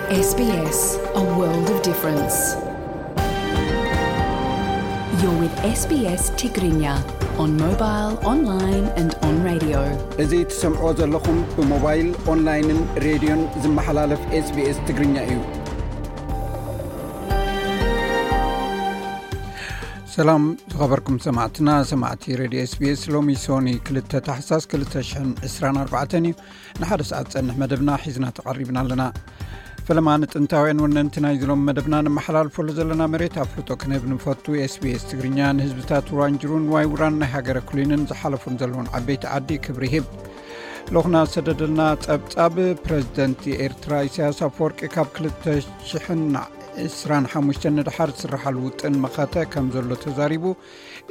S B S, a world of difference. You're with S B S Tigrinya on mobile, online and on radio. እዚ ትሰምዕዎ ዘለኹም ብሞባይል፣ ኦንላይንን ሬድዮን ዝመሓላለፍ S B S ትግርኛ እዩ። ሰላም ዝኸበርኩም ሰማዕትና፣ ሰማዕቲ ሬድዮ S B S፣ ሎሚ ሶኒ ክልተ ታሕሳስ ክልተ ሽሕን ዕስራን ኣርባዕተን እዩ። ንሓደ ሰዓት ዝጸንሕ መደብና ሒዝና ተቐሪብና ኣለና። ፈለማ ንጥንታውያን ወነንቲ ናይዚ ሎም መደብና ነመሓላልፈሉ ዘለና መሬት ኣፍልጦ ክንህብ ንፈቱ። S B S ትግርኛ ንህዝብታት ሩዋንጅሩን ዋይ ውራን ናይ ሃገረ ኩሊንን ዝሓለፉን ዘለውን ዓበይቲ ዓዲ ክብሪ ይህብ። ልኡኽና ዝሰደደልና ጸብጻብ፣ ፕረዚደንት ኤርትራ ኢሳያስ ኣፈወርቂ ካብ ክልተ ሽሕን ዕስራን ሓሙሽተን ንደሓር ዝስርሓሉ ውጥን መኸተ ከም ዘሎ ተዛሪቡ።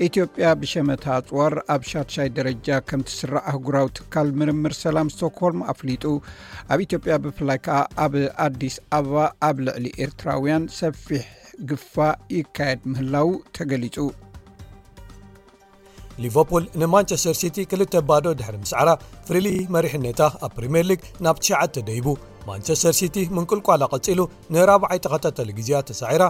ኢትዮጵያ ብሸመታ ኣጽዋር ኣብ ሻድሻይ ደረጃ ከም ትስራዕ ኣህጉራዊ ትካል ምርምር ሰላም ስቶክሆልም ኣፍሊጡ። ኣብ ኢትዮጵያ ብፍላይ ከኣ ኣብ ኣዲስ ኣበባ ኣብ ልዕሊ ኤርትራውያን ሰፊሕ ግፋ ይካየድ ምህላው ተገሊጹ። ሊቨርፑል ንማንቸስተር ሲቲ ክልተ ባዶ ድሕሪ ምስዓራ፣ ፍሪሊ መሪሕነታ ኣብ ፕሪምየር ሊግ ናብ ትሽዓተ ደይቡ። ማንቸስተር ሲቲ ምንቁልቋላ ቀጺሉ ንራብዓይ ተኸታታሊ ግዜያት ተሳዒራ።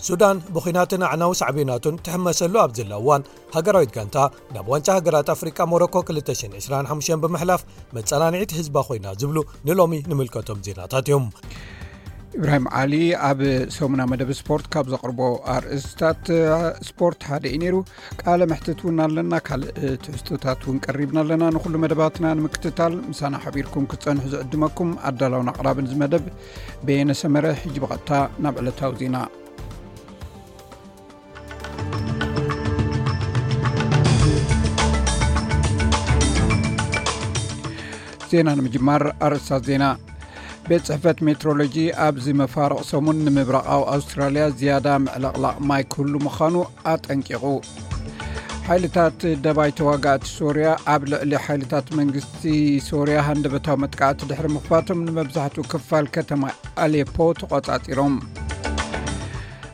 ሱዳን ብኹናትን ኣዕናዊ ሳዕቤናቱን ትሕመሰሉ ኣብ ዘላ እዋን፣ ሃገራዊት ጋንታ ናብ ዋንጫ ሃገራት ኣፍሪቃ ሞሮኮ ክልተ ሽሕን ዕስራን ሓሙሽተን ብምሕላፍ መጸናንዒት ህዝባ ኮይና ዝብሉ ንሎሚ ንምልከቶም ዜናታት እዮም። ኢብራሂም ዓሊ ኣብ ሰሙና መደብ ስፖርት ካብ ዘቕርቦ ኣርእስታት ስፖርት ሓደ እዩ ነይሩ። ቃለ መሕትት እውን ኣለና፣ ካልእ ትሕዝቶታት እውን ቀሪብና ኣለና። ንኹሉ መደባትና ንምክትታል ምሳና ሓቢርኩም ክትጸንሑ ዝዕድመኩም ኣዳላውን ኣቕራብን እዚ መደብ በየነ ሰመረ። ሕጂ ብቐጥታ ናብ ዕለታዊ ዜና። ዜና ንምጅማር ኣርእስታት ዜና። ቤት ጽሕፈት ሜትሮሎጂ ኣብዚ መፋርቕ ሰሙን ንምብራቓዊ ኣውስትራልያ ዝያዳ ምዕልቕላቕ ማይ ክህሉ ምዃኑ ኣጠንቂቑ። ሓይልታት ደባይ ተዋጋእቲ ሶርያ ኣብ ልዕሊ ሓይልታት መንግስቲ ሶርያ ሃንደበታዊ መጥቃዕቲ ድሕሪ ምኽፋቶም ንመብዛሕትኡ ክፋል ከተማ ኣሌፖ ተቖጻጺሮም።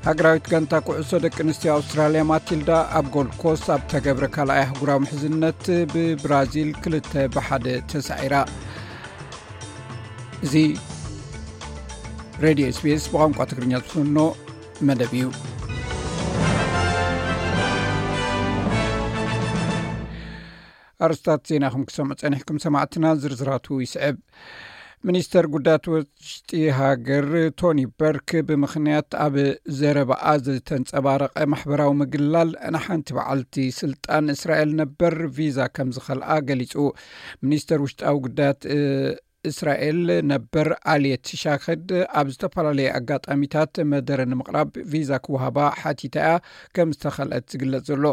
ሃገራዊት ጋንታ ኩዕሶ ደቂ ኣንስትዮ ኣውስትራልያ ማቲልዳ ኣብ ጎልድ ኮስት ኣብ ተገብረ ካልኣይ ኣህጉራዊ ምሕዝነት ብብራዚል ክልተ ብሓደ ተሳዒራ። እዚ ሬድዮ SBS ብቋንቋ ትግርኛ ዝፍኖ መደብ እዩ። ኣርስታት ዜና ከም ክሰምዑ ጸኒሕኩም ሰማዕትና፣ ዝርዝራቱ ይስዕብ። ሚኒስተር ጉዳያት ውሽጢ ሃገር ቶኒ በርክ ብምኽንያት ኣብ ዘረባኣ ዝተንጸባረቐ ማሕበራዊ ምግላል ንሓንቲ በዓልቲ ስልጣን እስራኤል ነበር ቪዛ ከም ዝኸልኣ ገሊጹ። ሚኒስተር ውሽጣዊ ጉዳያት እስራኤል ነበር ኣልየት ሻክድ ኣብ ዝተፈላለየ ኣጋጣሚታት መደረ ንምቕራብ ቪዛ ክወሃባ ሓቲታ እያ ከም ዝተኸልአት ዝግለጽ ዘሎ።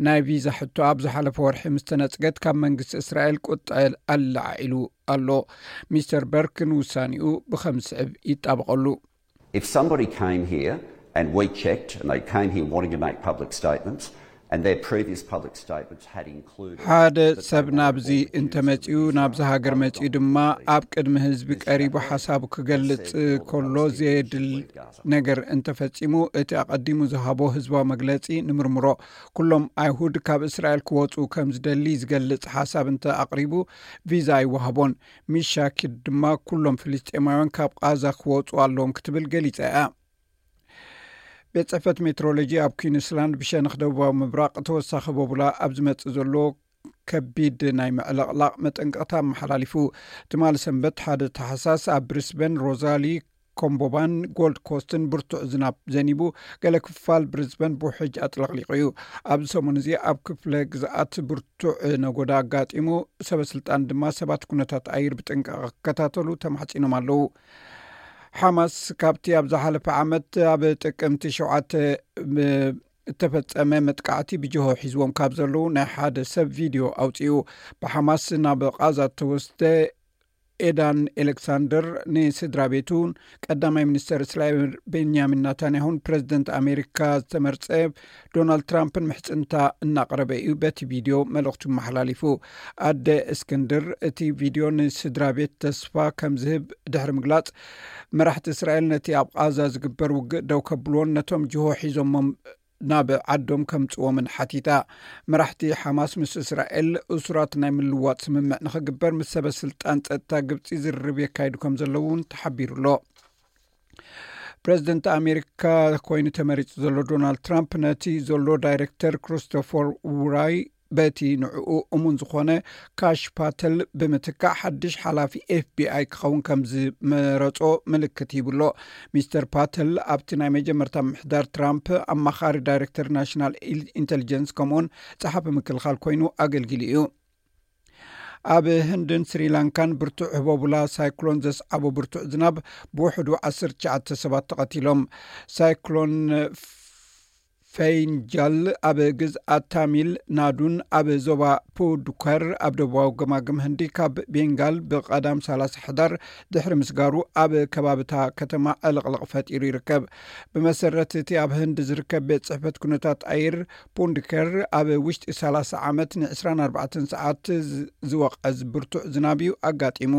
ናይ ቪዛ ሕቶ ኣብ ዝሓለፈ ወርሒ ምስ ተነጽገት ካብ መንግስቲ እስራኤል ቁጥዐ ኣለዓዒሉ ኣሎ። ሚስተር በርክ ንውሳኔኡ ብኸም ዝስዕብ ይጣበቐሉ። If somebody came here and we checked and they came here wanting to make public statements and their previous public statements had included ሓደ ሰብ ናብዚ እንተመጺኡ፣ ናብዚ ሃገር መጺኡ ድማ ኣብ ቅድሚ ህዝቢ ቀሪቡ ሓሳቡ ክገልጽ ከሎ ዘየድል ነገር እንተፈጺሙ፣ እቲ ኣቐዲሙ ዝሃቦ ህዝባዊ መግለጺ ንምርምሮ። ኩሎም ኣይሁድ ካብ እስራኤል ክወጹ ከም ዝደሊ ዝገልጽ ሓሳብ እንተ ኣቕሪቡ ቪዛ ኣይወሃቦን። ሚሻ ኪድ ድማ ኩሎም ፍልስጤማውያን ካብ ቓዛ ክወጹ ኣለዎም ክትብል ገሊጻ እያ። ቤት ጽሕፈት ሜትሮሎጂ ኣብ ኩዊንስላንድ ብሸነኽ ደቡባዊ ምብራቕ ተወሳኺ ቦቡላ ኣብ ዝመጽእ ዘሎ ከቢድ ናይ ምዕልቕላቕ መጠንቀቕታ ኣመሓላሊፉ። ትማሊ ሰንበት ሓደ ታሕሳስ ኣብ ብሪስበን ሮዛሊ ኮምቦባን ጎልድ ኮስትን ብርቱዕ ዝናብ ዘኒቡ፣ ገለ ክፋል ብሪዝበን ብውሕጅ ኣጥለቕሊቑ እዩ። ኣብዚ ሰሙን እዚ ኣብ ክፍለ ግዝኣት ብርቱዕ ነጎዳ ኣጋጢሙ፣ ሰበ ስልጣን ድማ ሰባት ኩነታት ኣየር ብጥንቃቐ ክከታተሉ ተማሕጺኖም ኣለዉ። ሓማስ ካብቲ ኣብ ዝሓለፈ ዓመት ኣብ ጥቅምቲ ሸውዓተ እተፈጸመ መጥቃዕቲ ብጅሆ ሒዝዎም ካብ ዘለዉ ናይ ሓደ ሰብ ቪድዮ ኣውጺኡ። ብሓማስ ናብ ቓዛ እተወስደ ኤዳን ኤሌክሳንደር ንስድራ ቤቱን ቀዳማይ ሚኒስተር እስራኤል ቤንያሚን ናታንያሁን ፕረዚደንት ኣሜሪካ ዝተመርጸ ዶናልድ ትራምፕን ምሕጽንታ እናቕረበ እዩ በቲ ቪድዮ መልእኽቱ መሓላሊፉ። ኣደ እስክንድር እቲ ቪድዮ ንስድራ ቤት ተስፋ ከም ዝህብ ድሕሪ ምግላጽ፣ መራሕቲ እስራኤል ነቲ ኣብ ቓዛ ዝግበር ውግእ ደው ከብልዎን ነቶም ጅሆ ሒዞሞም ናብ ዓዶም ከምጽዎምን ሓቲታ። መራሕቲ ሓማስ ምስ እስራኤል እሱራት ናይ ምልዋጥ ስምምዕ ንኽግበር ምስ ሰበ ስልጣን ጸጥታ ግብጺ ዝርርብ የካይዱ ከም ዘለዉ እውን ተሓቢሩ ኣሎ። ፕሬዚደንት ኣሜሪካ ኮይኑ ተመሪጹ ዘሎ ዶናልድ ትራምፕ ነቲ ዘሎ ዳይሬክተር ክሪስቶፈር ውራይ በቲ ንዕኡ እሙን ዝኾነ ካሽ ፓተል ብምትካእ ሓድሽ ሓላፊ ኤፍቢኣይ ክኸውን ከም ዝመረጾ ምልክት ሂብሎ። ሚስተር ፓተል ኣብቲ ናይ መጀመርታ ምሕዳር ትራምፕ ኣማኻሪ ዳይሬክተር ናሽናል ኢንቴሊጀንስ ከምኡውን ጸሓፊ ምክልኻል ኮይኑ ኣገልጊሉ እዩ። ኣብ ህንድን ስሪላንካን ብርቱዕ ህቦቡላ ሳይክሎን ዘስዓቦ ብርቱዕ ዝናብ ብውሕዱ ዓሰርተ ትሽዓተ ሰባት ተቐቲሎም። ሳይክሎን ፌንጃል ኣብ ግዝኣት ታሚል ናዱን ኣብ ዞባ ፑዱከር ኣብ ደቡባዊ ገማግም ህንዲ ካብ ቤንጋል ብቐዳም ሰላሳ ሕዳር ድሕሪ ምስጋሩ ኣብ ከባብታ ከተማ ዕልቕልቕ ፈጢሩ ይርከብ። ብመሰረት እቲ ኣብ ህንዲ ዝርከብ ቤት ጽሕፈት ኩነታት ኣየር ፑንድከር ኣብ ውሽጢ ሰላሳ ዓመት ን ዕስራን ኣርባዕተን ሰዓት ዝ- ዝወቐዝ ብርቱዕ ዝናብ እዩ ኣጋጢሙ።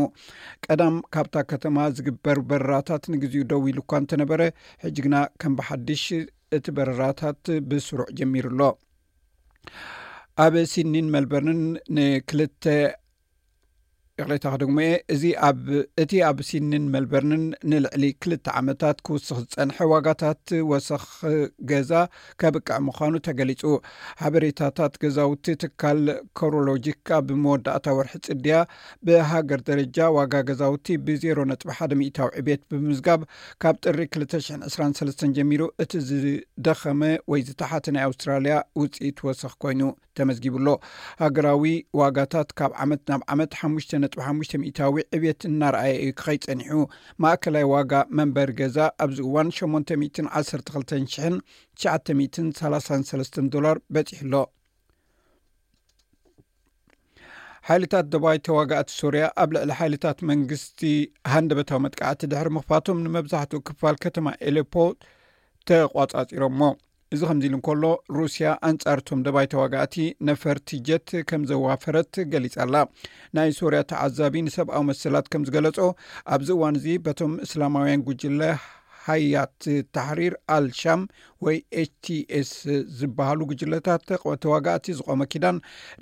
ቀዳም ካብታ ከተማ ዝግበር በረራታት ንግዚኡ ደው ኢሉ እኳ እንተነበረ፣ ሕጂ ግና ከም ብሓድሽ እቲ በረራታት ብስሩዕ ጀሚሩ ኣሎ። ኣብ ሲድኒን መልበርንን ንክልተ ይቕሬታ ክደግሞ እየ። እዚ ኣብ እቲ ኣብ ሲድኒን መልበርንን ንልዕሊ ክልተ ዓመታት ክውስኽ ዝጸንሐ ዋጋታት ወሰኽ ገዛ ከብቅዕ ምዃኑ ተገሊጹ። ሓበሬታታት ገዛውቲ ትካል ኮሮሎጂክ ኣብ መወዳእታ ወርሒ ጽድያ ብሃገር ደረጃ ዋጋ ገዛውቲ ብ ዜሮ ነጥቢ ሓደ ሚእታዊ ዕቤት ብምምዝጋብ ካብ ጥሪ ክልተ ሽሕን ዕስራን ሰለስተን ጀሚሩ እቲ ዝደኸመ ወይ ዝተሓተ ናይ ኣውስትራልያ ውጽኢት ወሰኽ ኮይኑ ተመዝጊቡ ኣሎ። ሃገራዊ ዋጋታት ካብ ዓመት ናብ ዓመት ሓሙሽተ ነጥቢ ሓሙሽተ ሚእታዊ ዕቤት እናረኣየ እዩ ክኸይድ ጸኒሑ። ማእከላይ ዋጋ መንበሪ ገዛ ኣብዚ እዋን ሸሞንተ ሚእትን ዓሰርተ ክልተን ሽሕን ትሽዓተ ሚእትን ሰላሳን ሰለስተን ዶላር በጺሑ ኣሎ። ሓይልታት ደባይ ተዋጋእቲ ሶርያ ኣብ ልዕሊ ሓይልታት መንግስቲ ሃንደበታዊ መጥቃዕቲ ድሕሪ ምኽፋቶም ንመብዛሕትኡ ክፋል ከተማ ኤሌፖ ተቋጻጺሮሞ። እዚ ከምዚ ኢሉ እንከሎ፣ ሩስያ ኣንጻርቶም ደባይ ተዋጋእቲ ነፈርቲ ጀት ከም ዘዋፈረት ገሊጻ ኣላ። ናይ ሶርያ ተዓዛቢ ንሰብኣዊ መሰላት ከም ዝገለጾ፣ ኣብዚ እዋን እዚ በቶም እስላማውያን ጉጅለ ሃያት ታሕሪር ኣልሻም ወይ ኤች ቲ ኤስ ዝበሃሉ ጉጅለታት ተዋጋእቲ ዝቆመ ኪዳን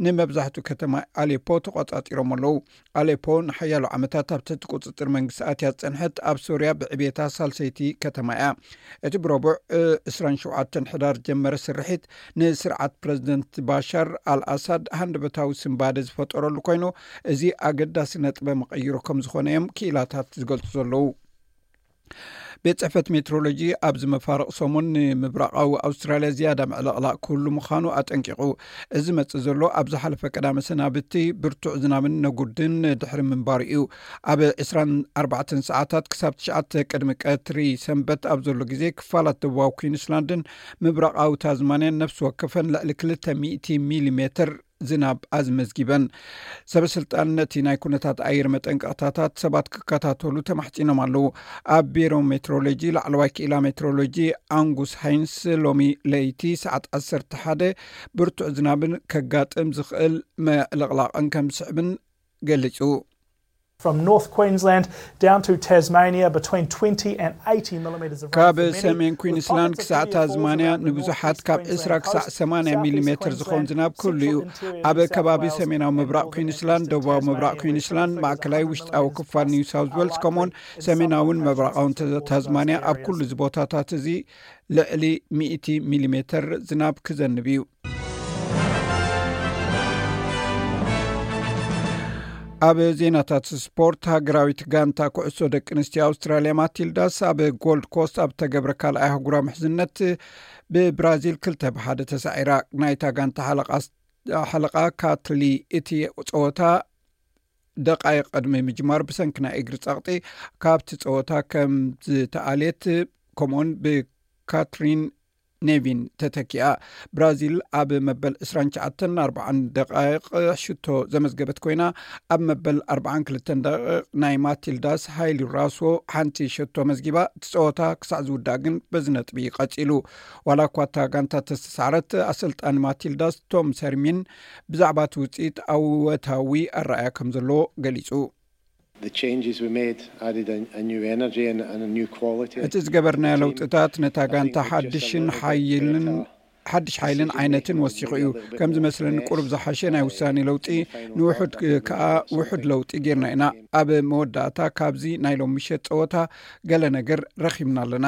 ንመብዛሕትኡ ከተማ ኣሌፖ ተቆጻጺሮም ኣለዉ። ኣሌፖ ንሓያሎ ዓመታት ኣብ ትሕቲ ቁጽጽር መንግስቲ ኣትያ ዝጸንሐት ኣብ ሶርያ ብዕቤታ ሳልሰይቲ ከተማ እያ። እቲ ብረቡዕ ዕስራን ሸውዓተን ሕዳር ዝጀመረ ስርሒት ንስርዓት ፕረዚደንት ባሻር ኣልኣሳድ ሃንደበታዊ ስንባደ ዝፈጠረሉ ኮይኑ፣ እዚ ኣገዳሲ ነጥበ መቐይሮ ከም ዝኾነ እዮም ክኢላታት ዝገልጹ ዘለዉ። ቤት ጽሕፈት ሜትሮሎጂ ኣብዚ መፋርቕ ሰሙን ንምብራቓዊ ኣውስትራልያ ዝያዳ ምዕልቕላቕ ክህሉ ምዃኑ ኣጠንቂቑ። እዚ መጽእ ዘሎ ኣብ ዝሓለፈ ቀዳመ ሰናብቲ ብርቱዕ ዝናብን ነጉድን ድሕሪ ምንባሩ እዩ። ኣብ ዕስራን ኣርባዕተን ሰዓታት ክሳብ ትሽዓተ ቅድሚ ቀትሪ ሰንበት ኣብ ዘሎ ግዜ ክፋላት ደቡባዊ ኩዊንስላንድን ምብራቓዊ ታዝማንያን ነፍሲ ወከፈን ልዕሊ ክልተ ሚእቲ ሚሊ ሜትር ዝናብ ኣዝመዝጊበን። ሰበ ስልጣን ነቲ ናይ ኩነታት ኣየር መጠንቀቕታታት ሰባት ክከታተሉ ተማሕጺኖም ኣለዉ። ኣብ ቢሮ ሜትሮሎጂ ላዕለዋይ ክኢላ ሜትሮሎጂ ኣንጉስ ሃይንስ ሎሚ ለይቲ ሰዓት ዓሰርተ ሓደ ብርቱዕ ዝናብን ከጋጥም ዝኽእል ምዕልቕላቕን ከም ዝስዕብን ገሊጹ። From North Queensland down to Tasmania, between twenty and eighty millimetres of rain ካብ for many, ሰሜን with ኩዊንስላንድ pockets of ክሳዕ heavier falls ታዝማንያ around the ንብዙሓት northeast ካብ Queensland ዕስራ ክሳዕ coast, ሰማንያ southeast ሚሊሜትር ዝኸውን Queensland, ዝናብ ክህሉ central እዩ። interior New ኣብ South ከባቢ Wales, ሰሜናዊ and ምብራቕ northern ኩዊንስላንድ፣ Tasmania, ደቡባዊ ምብራቕ with ኩዊንስላንድ፣ three to ማእከላይ hundred ውሽጣዊ millimetres ክፋል of ኒው rain ሳውዝ ዌልስ፣ are ከምኡውን likely in some ሰሜናውን locations ምብራቓውን in central ታዝማንያ፣ coast ኣብ ኩሉ areas. እዚ ቦታታት እዚ ልዕሊ ሚእቲ ሚሊሜትር ዝናብ ክዘንብ እዩ። ኣብ ዜናታት ስፖርት፣ ሃገራዊት ጋንታ ኩዕሶ ደቂ ኣንስትዮ ኣውስትራልያ ማቲልዳስ ኣብ ጎልድ ኮስት ኣብ ተገብረ ካልኣይ ኣህጉራዊ ምሕዝነት ብብራዚል ክልተ ብሓደ ተሳዒራ። ናይታ ጋንታ ሓለቓ፣ ሓለቓ ካትሊ፣ እቲ ጸወታ ደቃይቕ ቅድሚ ምጅማር ብሰንኪ ናይ እግሪ ጸቕጢ ካብቲ ጸወታ ከም ዝተኣልየት፣ ከምኡውን ብካትሪን ኔቪን ተተኪኣ። ብራዚል ኣብ መበል ዕስራን ትሽዓተን ኣርባዓን ደቃይቕ ሽቶ ዘመዝገበት ኮይና፣ ኣብ መበል ኣርባዓን ክልተን ደቂቕ ናይ ማቲልዳስ ሃይሊ ራስዎ ሓንቲ ሸቶ መዝጊባ፣ እቲ ጸወታ ክሳዕ ዝውዳእ ግን በዚ ነጥቢ ቀጺሉ። ዋላ እኳ እታ ጋንታ ተስተሳዕረት፣ ኣሰልጣኒ ማቲልዳስ ቶም ሰርሚን ብዛዕባ እቲ ውጽኢት ኣወታዊ ኣረኣያ ከም ዘለዎ ገሊጹ። The changes we made added a, a new energy and, and a new quality. እቲ ዝገበርናዮ ለውጥታት ነታ ጋንታ ሓድሽን ሓይልን ሓድሽ ሓይልን ዓይነትን ወሲኹ እዩ። ከም ዝመስለኒ ቁሩብ ዝሓሸ ናይ ውሳኔ ለውጢ፣ ንውሑድ ከኣ ውሑድ ለውጢ ጌርና ኢና። ኣብ መወዳእታ ካብዚ ናይ ሎም ምሸት ጸወታ ገለ ነገር ረኺብና ኣለና።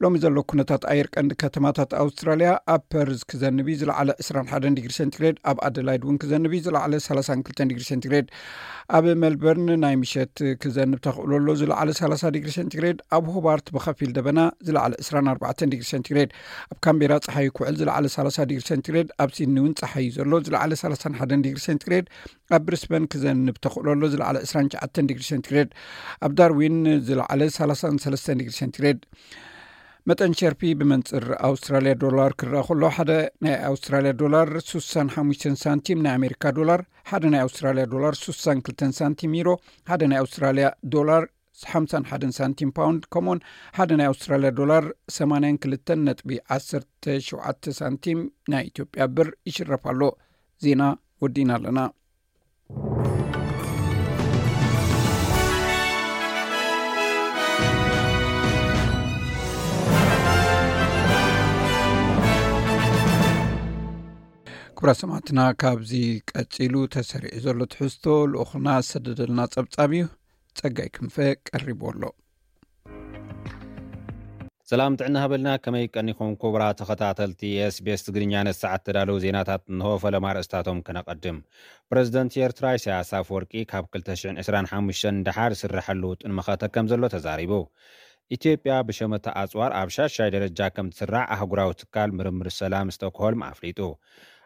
ሎሚ ዘሎ ኩነታት ኣየር ቀንዲ ከተማታት ኣውስትራልያ፣ ኣብ ፐርዝ ክዘንብ እዩ፣ ዝለዓለ ዕስራን ሓደን ዲግሪ ሴንቲግሬድ፣ ኣብ ኣደላይድ እውን ክዘንብ እዩ፣ ዝለዓለ ሰላሳን ክልተን ዲግሪ ሴንቲግሬድ፣ ኣብ ሜልበርን ናይ ምሸት ክዘንብ ተኽእሎ ኣሎ፣ ዝለዓለ ሰላሳ ዲግሪ ሴንቲግሬድ፣ ኣብ ሆባርት ብኸፊል ደበና፣ ዝለዓለ ዕስራን ኣርባዕተን ዲግሪ ሴንቲግሬድ፣ ኣብ ካምቤራ ጸሓይ ክውዕል፣ ዝለዓለ ሰላሳ ዲግሪ ሴንቲግሬድ፣ ኣብ ሲድኒ እውን ጸሓይ እዩ ዘሎ፣ ዝለዓለ ሰላሳን ሓደን ዲግሪ ሴንቲግሬድ፣ ኣብ ብሪስበን ክዘንብ ተኽእሎ ኣሎ፣ ዝለዓለ ዕስራን ትሽዓተን ዲግሪ ሴንቲግሬድ፣ ኣብ ዳርዊን ዝለዓለ ሰላሳን ሰለስተን ዲግሪ ሴንቲግሬድ። መጠን ሸርፊ ብመንጽር ኣውስትራልያ ዶላር ክረኣ ከሎ፣ ሓደ ናይ ኣውስትራልያ ዶላር ሱሳን ሓሙሽተን ሳንቲም፣ ናይ ኣሜሪካ ዶላር ሓደ ናይ ኣውስትራልያ ዶላር ሱሳን ክልተን ሳንቲም፣ ዩሮ ሓደ ናይ ኣውስትራልያ ዶላር ሓምሳን ሓደን ሳንቲም፣ ፓውንድ ከምኡውን ሓደ ናይ ኣውስትራልያ ዶላር ሰማንያን ክልተን ነጥቢ ዓሰርተ ሸውዓተ ሳንቲም ናይ ኢትዮጵያ ብር ይሽረፍ ኣሎ። ዜና ወዲእና ኣለና። ክቡራት ሰማዕትና፣ ካብዚ ቀጺሉ ተሰሪዑ ዘሎ ትሕዝቶ ልኡኽና ዝሰደደልና ጸብጻብ እዩ። ጸጋይ ክንፈ ቀሪቡ ኣሎ። ሰላም ጥዕና ሃበልና። ከመይ ቀኒኹም ክቡራት ተኸታተልቲ ኤስቢኤስ ትግርኛ? ነሰዓት ተዳለዉ ዜናታት እንሆ። ፈለማ ኣርእስታቶም ከነቐድም። ፕረዚደንት ኤርትራ ኢሳያስ ኣፈወርቂ ካብ ክልተ ሽሕን ዕስራን ሓሙሽተን ደሓር ዝስረሐሉ ውጥን መኸተ ከም ዘሎ ተዛሪቡ። ኢትዮጵያ ብሸመታ ኣጽዋር ኣብ ሻሻይ ደረጃ ከም ትስራዕ ኣህጉራዊ ትካል ምርምር ሰላም ስቶክሆልም ኣፍሊጡ።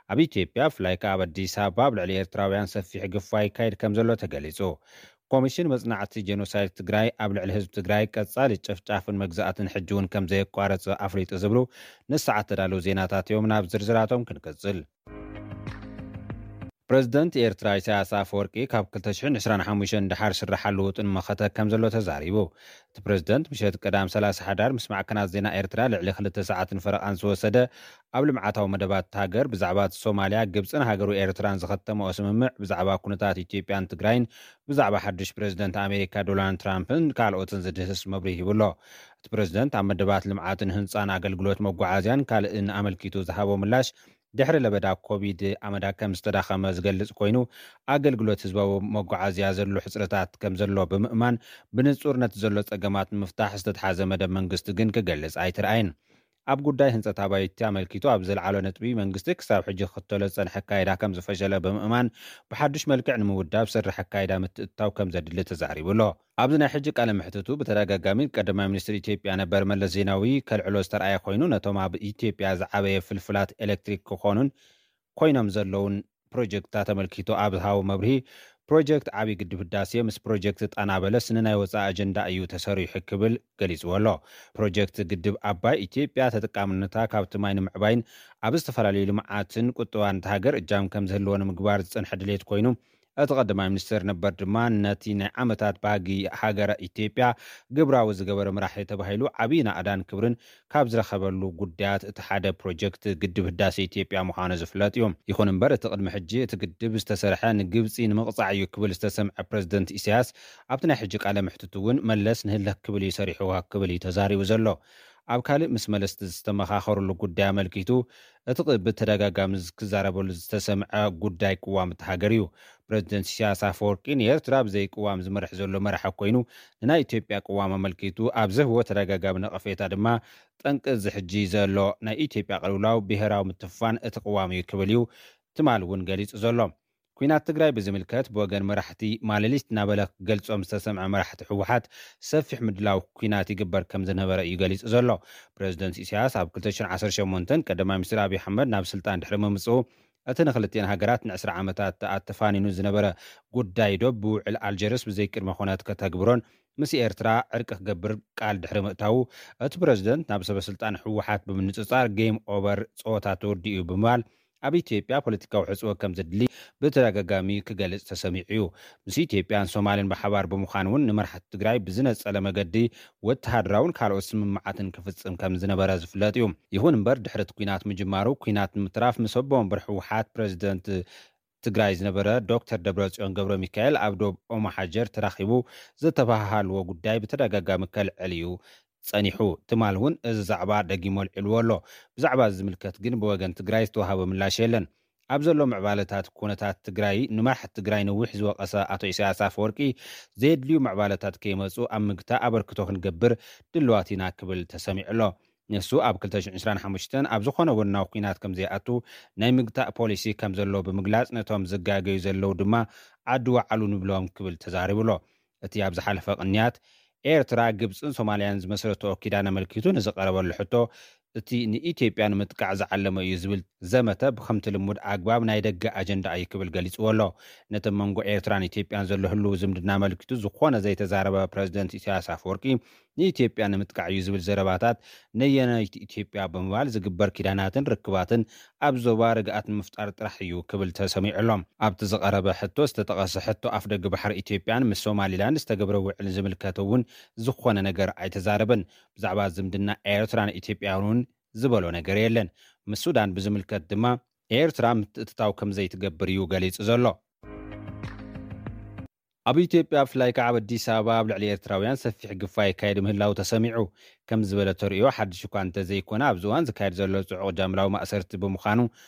ኣብ ኢትዮጵያ፣ ብፍላይ ከኣ ኣብ ኣዲስ ኣበባ፣ ኣብ ልዕሊ ኤርትራውያን ሰፊሕ ግፋ ይካየድ ከም ዘሎ ተገሊጹ። ኮሚሽን መጽናዕቲ ጄኖሳይድ ትግራይ ኣብ ልዕሊ ህዝቢ ትግራይ ቀጻሊ ጨፍጫፍን መግዛእትን ሕጂ እውን ከም ዘየቋረጸ ኣፍሊጡ ዝብሉ ንሰዓት ተዳለዉ ዜናታት እዮም። ናብ ዝርዝራቶም ክንቅጽል። ፕረዚደንት ኤርትራ ኢሳያስ ኣፈወርቂ ካብ ክልተ ሽሕን ዕስራን ሓሙሽተን ደሓር ስራሓሉ ውጥን መኸተ ከም ዘሎ ተዛሪቡ። እቲ ፕረዚደንት ምሸት ቀዳም ሰላሳ ሓዳር ምስ ማዕከናት ዜና ኤርትራ ልዕሊ ክልተ ሰዓትን ፈረቓን ዝወሰደ ኣብ ልምዓታዊ መደባት ሃገር ብዛዕባ ሶማልያ፣ ግብጽን ሃገሩ ኤርትራን ዝኸተመኦ ስምምዕ፣ ብዛዕባ ኩነታት ኢትዮጵያን ትግራይን፣ ብዛዕባ ሓድሽ ፕረዚደንት ኣሜሪካ ዶናልድ ትራምፕን ካልኦትን ዝድህስስ መብርሂ ሂቡ ኣሎ። እቲ ፕረዚደንት ኣብ መደባት ልምዓትን ህንጻን ኣገልግሎት መጓዓዝያን ካልእን ኣመልኪቱ ዝሃቦ ምላሽ፣ ድሕሪ ለበዳ ኮቪድ ኣመዳ ከም ዝተዳኸመ ዝገልጽ ኮይኑ፣ ኣገልግሎት ህዝባዊ መጓዓዝያ ዘሎ ሕጽረታት ከም ዘሎ ብምእማን፣ ብንጹር ነቲ ዘሎ ጸገማት ንምፍታሕ ዝተትሓዘ መደብ መንግስቲ ግን ክገልጽ ኣይተርኣየን። ኣብ ጉዳይ ህንጸት ኣባይቲ ኣመልኪቱ ኣብ ዘልዓሎ ነጥቢ፣ መንግስቲ ክሳብ ሕጂ ክኽተሎ ዝጸንሐ ኣካይዳ ከም ዝፈሸለ ብምእማን፣ ብሓድሽ መልክዕ ንምውዳብ ዝሰርሕ ኣካይዳ ምትእትታው ከም ዘድሊ ተዛሪቡ ኣሎ። ኣብዚ ናይ ሕጂ ቃለ መሕትቱ ብተደጋጋሚ ቀዳማይ ሚኒስትር ኢትዮጵያ ነበር መለስ ዜናዊ ከልዕሎ ዝተርኣየ ኮይኑ፣ ነቶም ኣብ ኢትዮጵያ ዝዓበየ ፍልፍላት ኤሌክትሪክ ክኾኑን ኮይኖም ዘለውን ፕሮጀክትታት ኣመልኪቱ ኣብ ዝሃቦ መብርሂ፣ ፕሮጀክት ዓብዪ ግድብ ህዳሴ ምስ ፕሮጀክት ጣና በለስ ንናይ ወፃኢ ኣጀንዳ እዩ ተሰሪሑ ክብል ገሊፅዎ ኣሎ። ፕሮጀክት ግድብ ኣባይ፣ ኢትዮጵያ ተጠቃምነታ ካብቲ ማይ ንምዕባይን ኣብ ዝተፈላለዩ ልምዓትን ቁጠባን እታ ሃገር እጃም ከም ዝህልዎ ንምግባር ዝፀንሐ ድሌት ኮይኑ፣ እቲ ቀዳማይ ሚኒስትር ነበር ድማ ነቲ ናይ ዓመታት ባህጊ ሃገረ ኢትዮጵያ ግብራዊ ዝገበረ መራሒ ተባሂሉ ዓብዪ ናእዳን ክብርን ካብ ዝረኸበሉ ጉዳያት እቲ ሓደ ፕሮጀክት ግድብ ህዳሴ ኢትዮጵያ ምዃኑ ዝፍለጥ እዩ። ይኹን እምበር፣ እቲ ቅድሚ ሕጂ እቲ ግድብ ዝተሰርሐ ንግብፂ ንምቕፃዕ እዩ ክብል ዝተሰምዐ ፕረዚደንት ኢሳያስ፣ ኣብቲ ናይ ሕጂ ቃለ መሕትቱ እውን መለስ ንህልኽ ክብል እዩ ሰሪሕዋ ክብል እዩ ተዛሪቡ ዘሎ። ኣብ ካልእ ምስ መለስ ዝተመኻኸሩሉ ጉዳይ ኣመልኪቱ፣ እቲ ቅ-፣ ብተደጋጋሚ ክዛረበሉ ዝተሰምዐ ጉዳይ ቅዋም እቲ ሃገር እዩ። ፕረዚደንት ኢሳያስ ኣፈወርቂ ንኤርትራ ብዘይ ቅዋም ዝመርሕ ዘሎ መራሒ ኮይኑ፣ ንናይ ኢትዮጵያ ቅዋም ኣመልኪቱ ኣብ ዝህቦ ተደጋጋሚ ነቐፌታ ድማ፣ ጠንቂ እዚ ሕጂ ዘሎ ናይ ኢትዮጵያ ቅልውላው ብሄራዊ ምትፍፋን እቲ ቅዋም እዩ ክብል እዩ ትማል እውን ገሊጹ ዘሎ። ኲናት ትግራይ ብዝምልከት ብወገን መራሕቲ ማለሊት እናበለ ክገልጾም ዝተሰምዐ መራሕቲ ህወሓት፣ ሰፊሕ ምድላው ኲናት ይግበር ከም ዝነበረ እዩ ገሊጹ ዘሎ። ፕረዚደንት ኢሳያስ ኣብ ክልተ ሽሕን ዓሰርተ ሸሞንተን ቀዳማይ ሚኒስትር ኣብይ ኣሕመድ ናብ ስልጣን ድሕሪ ምምጽኡ፣ እቲ ንክልቲኤን ሃገራት ንዕስራ ዓመታት ኣተፋኒኑ ዝነበረ ጉዳይ ዶብ ብውዕል ኣልጀርስ ብዘይ ቅድመ ኩነት ከተግብሮን ምስ ኤርትራ ዕርቂ ክገብር ቃል ድሕሪ ምእታዉ፣ እቲ ፕረዚደንት ናብ ሰበ ስልጣን ህወሓት ብምንጽጻር፣ ጌም ኦቨር፣ ጸወታ ተወዲኡ ብምባል፣ ኣብ ኢትዮጵያ ፖለቲካዊ ሕጽቦ ከም ዘድሊ ብተደጋጋሚ ክገልጽ ተሰሚዑ እዩ። ምስ ኢትዮጵያን ሶማልን ብሓባር ብምዃን እውን ንመራሕቲ ትግራይ ብዝነጸለ መገዲ ወተሃደራውን ካልኦት ስምምዓትን ክፍጽም ከም ዝነበረ ዝፍለጥ እዩ። ይኹን እምበር፣ ድሕሪ እቲ ኲናት ምጅማሩ፣ ኲናት ንምትራፍ ምስ ኣቦ ወንበር ህወሓት ፕረዚደንት ትግራይ ዝነበረ ዶክተር ደብረጽዮን ገብረ ሚካኤል ኣብ ዶብ ኦማሓጀር ተራኺቡ ዝተበሃሃልዎ ጉዳይ ብተደጋጋሚ ከልዕል እዩ ጸኒሑ። ትማል እውን እዚ ዛዕባ ደጊሙ ኣልዒልዎ ኣሎ። ብዛዕባ እዚ ዝምልከት ግን ብወገን ትግራይ ዝተዋሃበ ምላሽ የለን። ኣብ ዘሎ ምዕባለታት ኩነታት ትግራይ ንመራሕቲ ትግራይ ነዊሕ ዝወቀሰ ኣቶ ኢሳያስ ኣፈወርቂ፣ ዘየድልዩ ምዕባለታት ከይመፁ ኣብ ምግታ ኣበርክቶ ክንገብር ድልዋት ኢና ክብል ተሰሚዑ ኣሎ። ንሱ ኣብ ክልተ ሽሕን ዕስራን ሓሙሽተን ኣብ ዝኾነ ወናዊ ኩናት ከም ዘይኣቱ ናይ ምግታእ ፖሊሲ ከም ዘሎ ብምግላፅ፣ ነቶም ዝጋገዩ ዘለዉ ድማ ዓዲ ወዓሉ ንብሎም ክብል ተዛሪቡ ኣሎ። እቲ ኣብ ዝሓለፈ ቅንያት ኤርትራ፣ ግብፅን ሶማልያን ዝመሰረትኦ ኪዳን ኣመልኪቱ ንዝቀረበሉ ሕቶ፣ እቲ ንኢትዮጵያ ንምጥቃዕ ዝዓለመ እዩ ዝብል ዘመተ ብከምቲ ልሙድ ኣግባብ ናይ ደገ ኣጀንዳ እዩ ክብል ገሊፅዎ ኣሎ። ነቲ መንጎ ኤርትራን ኢትዮጵያን ዘሎ ህልው ዝምድና ኣመልኪቱ ዝኾነ ዘይተዛረበ ፕረዚደንት ኢሳያስ ኣፈወርቂ፣ ንኢትዮጵያ ንምጥቃዕ እዩ ዝብል ዘረባታት ነየነይቲ ኢትዮጵያ ብምባል ዝግበር ኪዳናትን ርክባትን ኣብ ዞባ ርግኣት ንምፍጣር ጥራሕ እዩ ክብል ተሰሚዑ ኣሎ። ኣብቲ ዝቐረበ ሕቶ ዝተጠቐሰ ሕቶ ኣፍደገ ባሕሪ ኢትዮጵያን ምስ ሶማሊላንድ ዝተገብረ ውዕል ዝምልከት እውን ዝኾነ ነገር ኣይተዛረበን። ብዛዕባ ዝምድና ኤርትራን ኢትዮጵያን እውን ዝበሎ ነገር የለን። ምስ ሱዳን ብዝምልከት ድማ ኤርትራ ምትእትታው ከም ዘይትገብር እዩ ገሊጹ ዘሎ። ኣብ ኢትዮጵያ ብፍላይ ከዓ ኣብ ኣዲስ ኣበባ ኣብ ልዕሊ ኤርትራውያን ሰፊሕ ግፋ ይካየድ ምህላው ተሰሚዑ። ከም ዝበለ ተርእዮ ሓድሽ እኳ እንተዘይኮነ ኣብዚ እዋን ዝካየድ ዘሎ ጽዑቕ ጃምላዊ ማእሰርቲ ብምዃኑ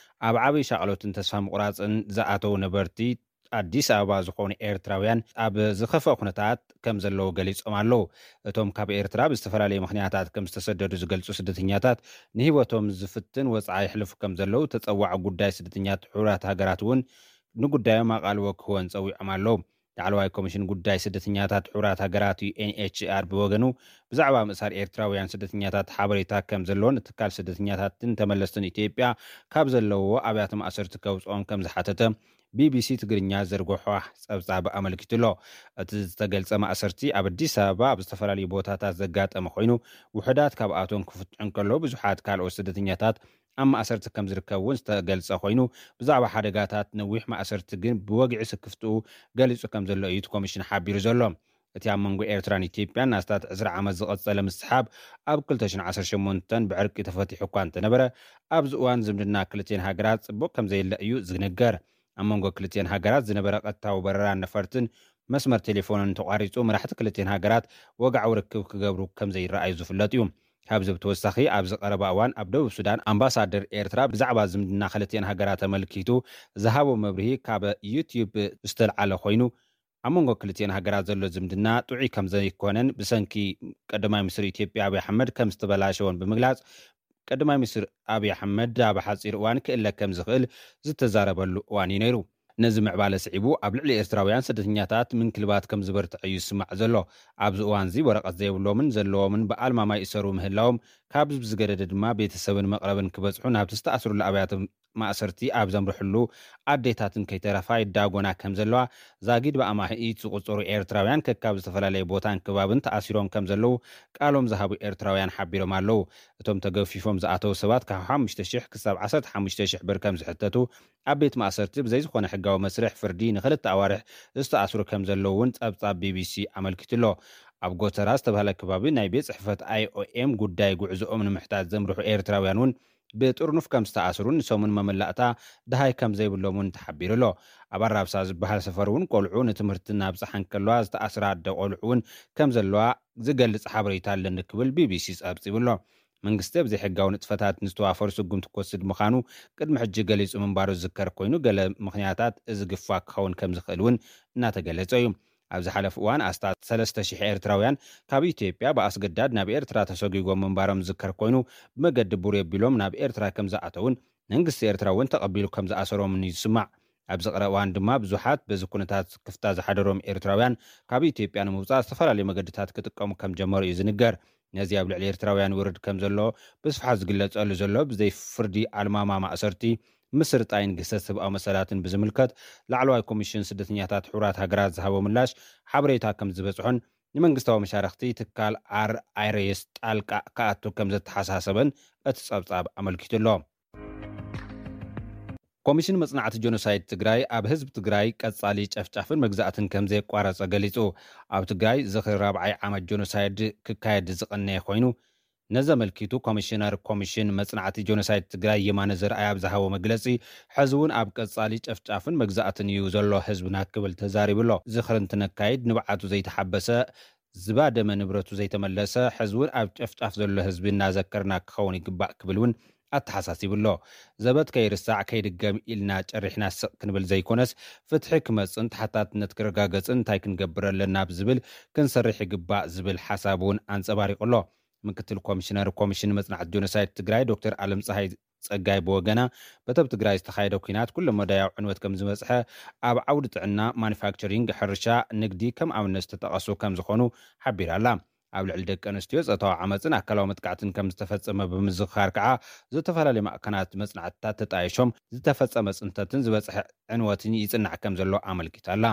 ኣብ ዓብይ ሻቕሎትን ተስፋ ምቑራጽን ዝኣተው ነበርቲ ኣዲስ ኣበባ ዝኾኑ ኤርትራውያን ኣብ ዝኸፍአ ኩነታት ከም ዘለዉ ገሊጾም ኣለዉ። እቶም ካብ ኤርትራ ብዝተፈላለየ ምኽንያታት ከም ዝተሰደዱ ዝገልጹ ስደተኛታት ንህይወቶም ዝፍትን ወጽዓ የሕልፉ ከም ዘለዉ ተጸዋዒ ጉዳይ ስደተኛታት ሕቡራት ሃገራት እውን ንጉዳዮም ኣቓልቦ ክህወን ጸዊዖም ኣለዉ። ላዕለዋይ ኮሚሽን ጉዳይ ስደተኛታት ሕቡራት ሃገራት ዩ ኤን ኤች ሲ ኣር ብወገኑ ብዛዕባ ምእሳር ኤርትራውያን ስደተኛታት ሓበሬታ ከም ዘለዎን እቲ ትካል ስደተኛታትን ተመለስትን ኢትዮጵያ ካብ ዘለዎ ኣብያተ ማእሰርቲ ከውፅኦም ከም ዝሓተተ ቢ ቢ ሲ ትግርኛ ዘርግሖ ጸብጻብ ኣመልኪቱ ኣሎ። እቲ ዝተገልጸ ማእሰርቲ ኣብ ኣዲስ ኣበባ ኣብ ዝተፈላለዩ ቦታታት ዘጋጠመ ኮይኑ ውሑዳት ካብኣቶም ክፍትሑ እንከለዉ ብዙሓት ካልኦት ስደተኛታት ኣብ ማእሰርቲ ከም ዝርከቡ እውን ዝተገልጸ ኮይኑ ብዛዕባ ሓደጋታት ነዊሕ ማእሰርቲ ግን ብወግዒ ስክፍትኡ ገሊጹ ከም ዘሎ እዩ እቲ ኮሚሽን ሓቢሩ ዘሎ። እቲ ኣብ መንጎ ኤርትራን ኢትዮጵያን ኣስታት ዕስራ ዓመት ዝቐጸለ ምስሓብ ኣብ ክልተ ሽሕን ዓሰርተ ሸሞንተን ብዕርቂ ተፈቲሑ እኳ እንተነበረ ኣብዚ እዋን ዝምድና ክልቲኤን ሃገራት ጽቡቕ ከም ዘየለ እዩ ዝንገር። ኣብ መንጎ ክልቲኤን ሃገራት ዝነበረ ቀጥታዊ በረራን ነፈርትን መስመር ቴሌፎንን ተቋሪጹ መራሕቲ ክልቲኤን ሃገራት ወግዓዊ ርክብ ክገብሩ ከም ዘይረኣዩ ዝፍለጥ እዩ። ካብዚ ብተወሳኺ ኣብዚ ቀረባ እዋን ኣብ ደቡብ ሱዳን ኣምባሳደር ኤርትራ ብዛዕባ ዝምድና ክልቲኤን ሃገራት ተመልኪቱ ዝሃቦ መብርሂ ካብ ዩትዩብ ዝተልዓለ ኮይኑ ኣብ መንጎ ክልቲኤን ሃገራት ዘሎ ዝምድና ጥዑይ ከም ዘይኮነን ብሰንኪ ቀዳማይ ሚኒስትር ኢትዮጵያ ኣብይ ኣሕመድ ከም ዝተበላሸወን ብምግላጽ ቀዳማይ ሚኒስትር ኣብይ ኣሕመድ ኣብ ሓፂር እዋን ክእለ ከም ዝኽእል ዝተዛረበሉ እዋን እዩ ነይሩ። ነዚ ምዕባለ ስዒቡ ኣብ ልዕሊ ኤርትራውያን ስደተኛታት ምንክልባት ከም ዝበርትዐ እዩ ዝስማዕ ዘሎ። ኣብዚ እዋን እዚ ወረቐት ዘይብሎምን ዘለዎምን ብኣልማማ ይእሰሩ ምህላዎም ካብ ዝገደደ ድማ ቤተሰብን መቕረብን ክበፅሑ ናብቲ ዝተኣስሩሉ ኣብያተ ማእሰርቲ ኣብ ዘምርሕሉ ኣዴታትን ከይተረፋ ይዳጎና ከም ዘለዋ ዛጊድ ብኣማኢት ዝቑፀሩ ኤርትራውያን ከካብ ዝተፈላለየ ቦታን ከባብን ተኣሲሮም ከም ዘለዉ ቃሎም ዝሃቡ ኤርትራውያን ሓቢሮም ኣለዉ። እቶም ተገፊፎም ዝኣተዉ ሰባት ካብ ሓሙሽተ ሽሕ ክሳብ ዓሰርተ ሓሙሽተ ሽሕ ብር ከም ዝሕተቱ ኣብ ቤት ማእሰርቲ ብዘይ ዝኾነ ሕጋዊ መስርሕ ፍርዲ ንኽልተ ኣዋርሕ ዝተኣስሩ ከም ዘለዉ እውን ጸብጻብ ቢ ቢ ሲ ኣመልኪቱ ኣሎ። ኣብ ጎተራ ዝተባህለ ከባቢ ናይ ቤት ጽሕፈት ኣይ ኦ ኤም ጉዳይ ጉዕዞኦም ንምሕታት ዘምርሑ ኤርትራውያን እውን ብጥርኑፍ ከም ዝተኣስሩን ንሰሙን መመላእታ ድሃይ ከም ዘይብሎም እውን ተሓቢሩ ኣሎ። ኣብ ኣራብሳ ዝበሃል ሰፈር እውን ቆልዑ ንትምህርቲ እናብጽሓ እንከለዋ ዝተኣስራ ኣደ ቆልዑ እውን ከም ዘለዋ ዝገልጽ ሓበሬታ ኣለኒ ክብል ቢ ቢ ሲ ጸብጺቡ ኣሎ። መንግስቲ ኣብ ዘይሕጋዊ ንጥፈታት ንዝተዋፈሩ ስጉምቲ ክወስድ ምዃኑ ቅድሚ ሕጂ ገሊጹ ምንባሩ ዝዝከር ኮይኑ፣ ገለ ምኽንያታት እዚ ግፋ ክኸውን ከም ዝኽእል እውን እናተገለጸ እዩ። ኣብ ዝሓለፈ እዋን ኣስታት ሰለስተ ሽሕ ኤርትራውያን ካብ ኢትዮጵያ ብኣስገዳድ ናብ ኤርትራ ተሰጒጎም ምንባሮም ዝዝከር ኮይኑ፣ ብመገዲ ቡሬ ኣቢሎም ናብ ኤርትራ ከም ዝኣተውን መንግስቲ ኤርትራ እውን ተቐቢሉ ከም ዝኣሰሮምን እዩ ዝስማዕ። ኣብዚ ቀረባ እዋን ድማ ብዙሓት በዚ ኩነታት ክፍታ ዝሓደሮም ኤርትራውያን ካብ ኢትዮጵያ ንምውጻእ ዝተፈላለዩ መገድታት ክጥቀሙ ከም ጀመሩ እዩ ዝንገር። ነዚ ኣብ ልዕሊ ኤርትራውያን ይወርድ ከም ዘሎ ብስፍሓት ዝግለጸሉ ዘሎ ብዘይ ፍርዲ ኣልማማ ማእሰርቲ፣ ምስርጣይን ግህሰት ሰብኣዊ መሰላትን ብዝምልከት ላዕለዋይ ኮሚሽን ስደተኛታት ሕቡራት ሃገራት ዝሃቦ ምላሽ ሓበሬታ ከም ዝበጽሖን ንመንግስታዊ መሻርኽቲ ትካል ኣር ኣይ ር ኤስ ጣልቃ ክኣቱ ከም ዘተሓሳሰበን እቲ ጸብጻብ ኣመልኪቱ ኣሎ። ኮሚሽን መጽናዕቲ ጆኖሳይድ ትግራይ ኣብ ህዝቢ ትግራይ ቀጻሊ ጨፍጫፍን መግዛእትን ከም ዘየቋረጸ ገሊጹ። ኣብ ትግራይ ዝኽሪ ራብዓይ ዓመት ጆኖሳይድ ክካየድ ዝቐነየ ኮይኑ፣ ነዚ ኣመልኪቱ ኮሚሽነር ኮሚሽን መጽናዕቲ ጆኖሳይድ ትግራይ የማነ ዘርኣይ ኣብ ዝሃቦ መግለጺ፣ ሕዚ እውን ኣብ ቀጻሊ ጨፍጫፍን መግዛእትን እዩ ዘሎ ህዝብና ክብል ተዛሪቡ ኣሎ። ዝኽሪ እንትነካይድ ንብዓቱ ዘይተሓበሰ፣ ዝባደመ ንብረቱ ዘይተመለሰ፣ ሕዚ እውን ኣብ ጨፍጫፍ ዘሎ ህዝቢ እናዘከርና ክኸውን ይግባእ ክብል እውን ኣተሓሳሲቡ ኣሎ። ዘበት ከይርሳዕ ከይድገም ኢልና ጨሪሕና ስቕ ክንብል ዘይኮነስ፣ ፍትሒ ክመጽእን ተሓታትነት ክረጋገጽን እንታይ ክንገብር ኣለና ብዝብል ክንሰርሕ ይግባእ ዝብል ሓሳብ እውን ኣንጸባሪቑ ኣሎ። ምክትል ኮሚሽነር ኮሚሽን መጽናዕቲ ጆኖሳይድ ትግራይ ዶክተር ኣለም ፀሃይ ጸጋይ ብወገና፣ በቲ ኣብ ትግራይ ዝተኻየደ ኲናት ኩለ መዳያዊ ዕንወት ከም ዝበጽሐ፣ ኣብ ዓውዲ ጥዕና፣ ማኑፋክቸሪንግ፣ ሕርሻ፣ ንግዲ ከም ኣብነት ዝተጠቐሱ ከም ዝኾኑ ሓቢራ ኣላ። ኣብ ልዕሊ ደቂ ኣንስትዮ ጾታዊ ዓመፅን ኣካላዊ መጥቃዕትን ከም ዝተፈጸመ ብምዝኽኻር ከዓ፣ ዝተፈላለዩ ማእከናት መጽናዕትታት ተጣይሾም ዝተፈጸመ ጽንተትን ዝበጽሐ ዕንወትን ይጽናዕ ከም ዘሎ ኣመልኪታ ኣላ።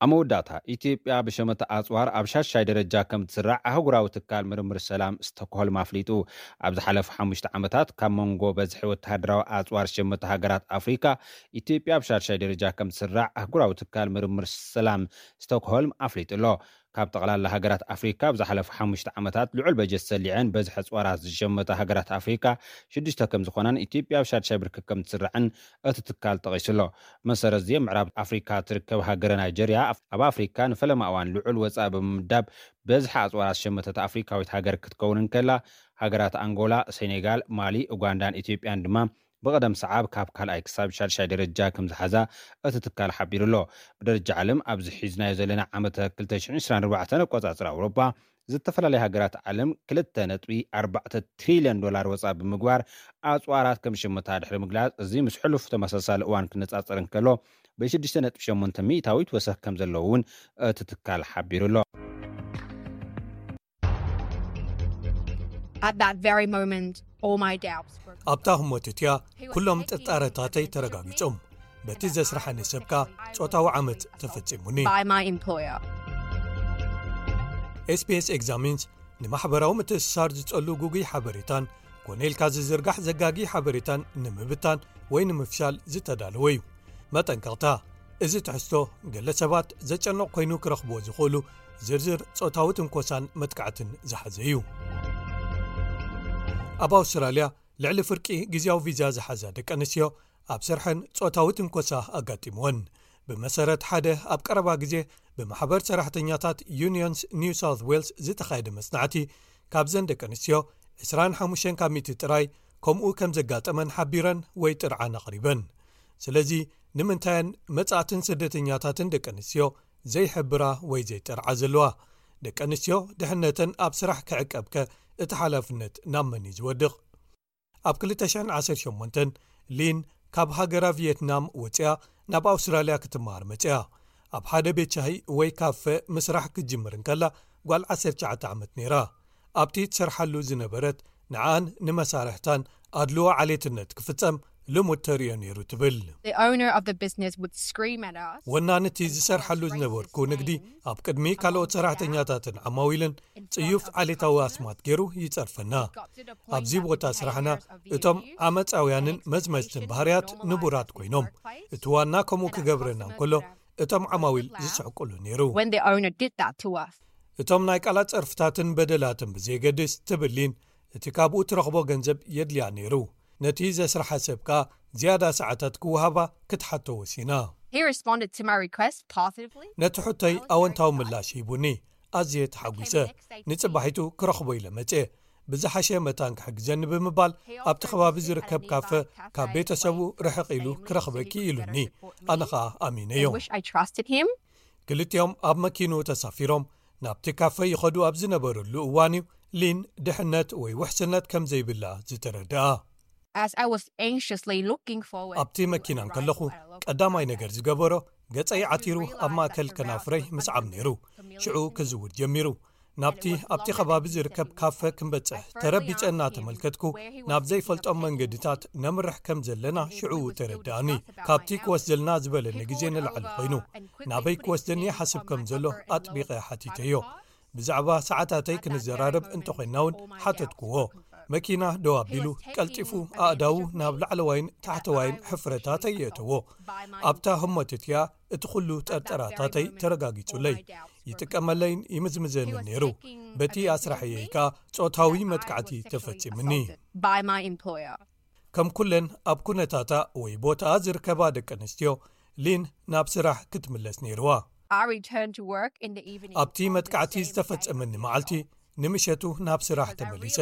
ኣብ መወዳእታ፣ ኢትዮጵያ ብሸመተ ኣጽዋር ኣብ ሻሻይ ደረጃ ከም ትስራዕ ኣህጉራዊ ትካል ምርምር ሰላም ስቶክሆልም ኣፍሊጡ። ኣብ ዝሓለፉ ሓሙሽተ ዓመታት፣ ካብ መንጎ በዝሒ ወተሃደራዊ ኣጽዋር ሸመተ ሃገራት ኣፍሪካ፣ ኢትዮጵያ ኣብ ሻሻይ ደረጃ ከም ትስራዕ ኣህጉራዊ ትካል ምርምር ሰላም ስቶክሆልም ኣፍሊጡ ኣሎ። ካብ ጠቕላላ ሃገራት ኣፍሪካ ኣብ ዝሓለፉ ሓሙሽተ ዓመታት ልዑል በጀት ሰሊዐን በዝሒ ኣጽዋራት ዝሸመታ ሃገራት ኣፍሪካ ሽዱሽተ ከም ዝኾናን ኢትዮጵያ ኣብ ሻድሻይ ብርኪ ከም ትስራዕን እቲ ትካል ጠቒሱ ኣሎ። መሰረት እዚ ኣብ ምዕራብ ኣፍሪካ ትርከብ ሃገረ ናይጀርያ ኣብ ኣፍሪካ ንፈለማ እዋን ልዑል ወፃኢ ብምምዳብ በዝሒ ኣጽዋራት ዝሸመተት ኣፍሪካዊት ሃገር ክትከውን እንከላ፣ ሃገራት ኣንጎላ፣ ሴኔጋል፣ ማሊ፣ ኡጋንዳን ኢትዮጵያን ድማ ብቐደም ሰዓብ ካብ ካልኣይ ክሳብ ሻድሻይ ደረጃ ከም ዝሓዛ እቲ ትካል ሓቢሩ ኣሎ። ብደረጃ ዓለም ኣብዚ ሒዝናዮ ዘለና ዓመተ ክልተ ሽሕን ዕስራን ኣርባዕተን ኣቆጻጽራ ኣውሮጳ፣ ዝተፈላለያ ሃገራት ዓለም ክልተ ነጥቢ ኣርባዕተ ትሪልዮን ዶላር ወጻ ብምግባር ኣጽዋራት ከም ዝሸመታ ድሕሪ ምግላጽ፣ እዚ ምስ ሕሉፍ ተመሳሳሊ እዋን ክነጻጸር እንከሎ፣ ብሽዱሽተ ነጥቢ ሸሞንተ ሚእታዊት ወሰኽ ከም ዘለዎ እውን እቲ ትካል ሓቢሩ ኣሎ። At that very moment, all my doubts were ኣብታ ህሞት እቲኣ ኩሎም ጥርጣረታተይ ተረጋጊጾም። በቲ ዘስርሓኒ ሰብካ ጾታዊ ዓመት ተፈጺሙኒ። By my employer. ኤስቢኤስ ኤግዛሚንስ ንማሕበራዊ ምትእስሳር ዝጸሉ ጉጉይ ሓበሬታን ኮነ ኢልካ ዝዝርጋሕ ዘጋጊ ሓበሬታን ንምብታን ወይ ንምፍሻል ዝተዳለወ እዩ። መጠንቀቕታ፣ እዚ ትሕዝቶ ገለ ሰባት ዘጨንቕ ኮይኑ ክረኽብዎ ዝኽእሉ ዝርዝር ጾታዊ ትንኮሳን መጥቃዕትን ዝሓዘ እዩ። ኣብ ኣውስትራልያ ልዕሊ ፍርቂ ግዜያዊ ቪዛ ዝሓዛ ደቂ ኣንስትዮ ኣብ ስርሐን ጾታዊ ትንኮሳ ኣጋጢምወን። ብመሰረት ሓደ ኣብ ቀረባ ግዜ ብማሕበር ሰራሕተኛታት ዩኒዮንስ ኒው ሳውት ዌልስ ዝተኻየደ መጽናዕቲ፣ ካብዘን ደቂ ኣንስትዮ ዕስራን ሓሙሽተን ካብ ሚእቲ ጥራይ ከምኡ ከም ዘጋጠመን ሓቢረን ወይ ጥርዓን ኣቕሪበን። ስለዚ ንምንታየን መጻእትን ስደተኛታትን ደቂ ኣንስትዮ ዘይሕብራ ወይ ዘይጠርዓ ዘለዋ? ደቂ ኣንስትዮ ድሕነተን ኣብ ስራሕ ክዕቀብከ እቲ ሓላፍነት ናብ መን እዩ ዝወድቕ? ኣብ ክልተ ሽሕን ዓሰርተ ሸሞንተን ሊን ካብ ሃገራ ቪየትናም ወጽያ ናብ ኣውስትራልያ ክትመሃር መጽያ። ኣብ ሓደ ቤት ሻሂ ወይ ካፈ ምስራሕ ክትጅምር እንከላ ጓል ዓሰርተ ትሽዓተ ዓመት ነይራ። ኣብቲ ትሰርሓሉ ዝነበረት ንዓን ንመሳርሕታን ኣድልዎ ዓሌትነት ክፍጸም ልሙድ ተርእዮ ነይሩ ትብል። The owner of the business would scream at us. ወናኒ እቲ ዝሰርሓሉ ዝነበርኩ ንግዲ ኣብ ቅድሚ ካልኦት ሰራሕተኛታትን ዓማዊልን ጽዩፍ ዓሌታዊ ኣስማት ገይሩ ይጸርፈና። ኣብዚ ቦታ ስራሕና እቶም ዓመፃውያንን መዝመዝትን ባህርያት ንቡራት ኮይኖም፣ እቲ ዋና ከምኡ ክገብረና እንከሎ እቶም ዓማዊል ዝስሕቁሉ ነይሩ። When the owner did that to us. እቶም ናይ ቃላት ጸርፍታትን በደላትን ብዘየገድስ ትብል ሊን፣ እቲ ካብኡ ትረኽቦ ገንዘብ የድልያ ነይሩ። ነቲ ዘስርሓ ሰብ ከኣ ዝያዳ ሰዓታት ክወሃባ ክትሓቶ ወሲና። He responded to my request positively. ነቲ ሕቶይ ኣወንታዊ ምላሽ ሂቡኒ። ኣዝየ ተሓጒሰ። ንጽባሒቱ ክረኽቦ ኢለ መጽየ። ብዝሓሸ መታን ክሕግዘኒ ብምባል ኣብቲ ከባቢ ዝርከብ ካፈ ካብ ቤተሰቡ ርሕቕ ኢሉ ክረኽበኪ ኢሉኒ። ኣነ ኸኣ ኣሚነዮ። I wish I trusted him. ክልቲኦም ኣብ መኪኑ ተሳፊሮም ናብቲ ካፈ ይኸዱ ኣብ ዝነበረሉ እዋን እዩ ሊን ድሕነት ወይ ውሕስነት ከም ዘይብላ ዝተረድኣ። As I was anxiously looking forward. ኣብቲ መኪና እንከለኹ ቀዳማይ ነገር ዝገበሮ ገጸይ ዓቲሩ ኣብ ማእከል ከናፍረይ ምስዓም ነይሩ። ሽዑ ክዝውር ጀሚሩ። ናብቲ ኣብቲ ከባቢ ዝርከብ ካፈ ክንበጽሕ ተረቢጸ እናተመልከትኩ ናብ ዘይፈልጦም መንገድታት ነምርሕ ከም ዘለና ሽዑ ተረድኣኒ። ካብቲ ክወስደልና ዝበለኒ ግዜ ንላዕሊ ኮይኑ ናበይ ክወስደኒ ይሓስብ ከም ዘሎ ኣጥቢቐ ሓቲተዮ። ብዛዕባ ሰዓታተይ ክንዘራረብ እንተኾይንና እውን ሓተትክዎ። መኪና ደው ኣቢሉ ቀልጢፉ ኣእዳዉ ናብ ላዕለዋይን ታሕተዋይን ሕፍረታተይ የእተዎ። ኣብታ ህሞት እቲኣ እቲ ኩሉ ጠርጠራታተይ ተረጋጊጹለይ። ይጥቀመለይን ይምዝምዘንን ነይሩ። በቲ ኣስራሕየይ ከኣ ጾታዊ መጥቃዕቲ ተፈጺምኒ። By my employer. ከም ኩለን ኣብ ኩነታታ ወይ ቦታኣ ዝርከባ ደቂ ኣንስትዮ ሊን ናብ ስራሕ ክትምለስ ነይርዋ። I returned to work in the evening. ኣብቲ መጥቃዕቲ ዝተፈጸመኒ መዓልቲ ንምሸቱ ናብ ስራሕ ተመሊሰ።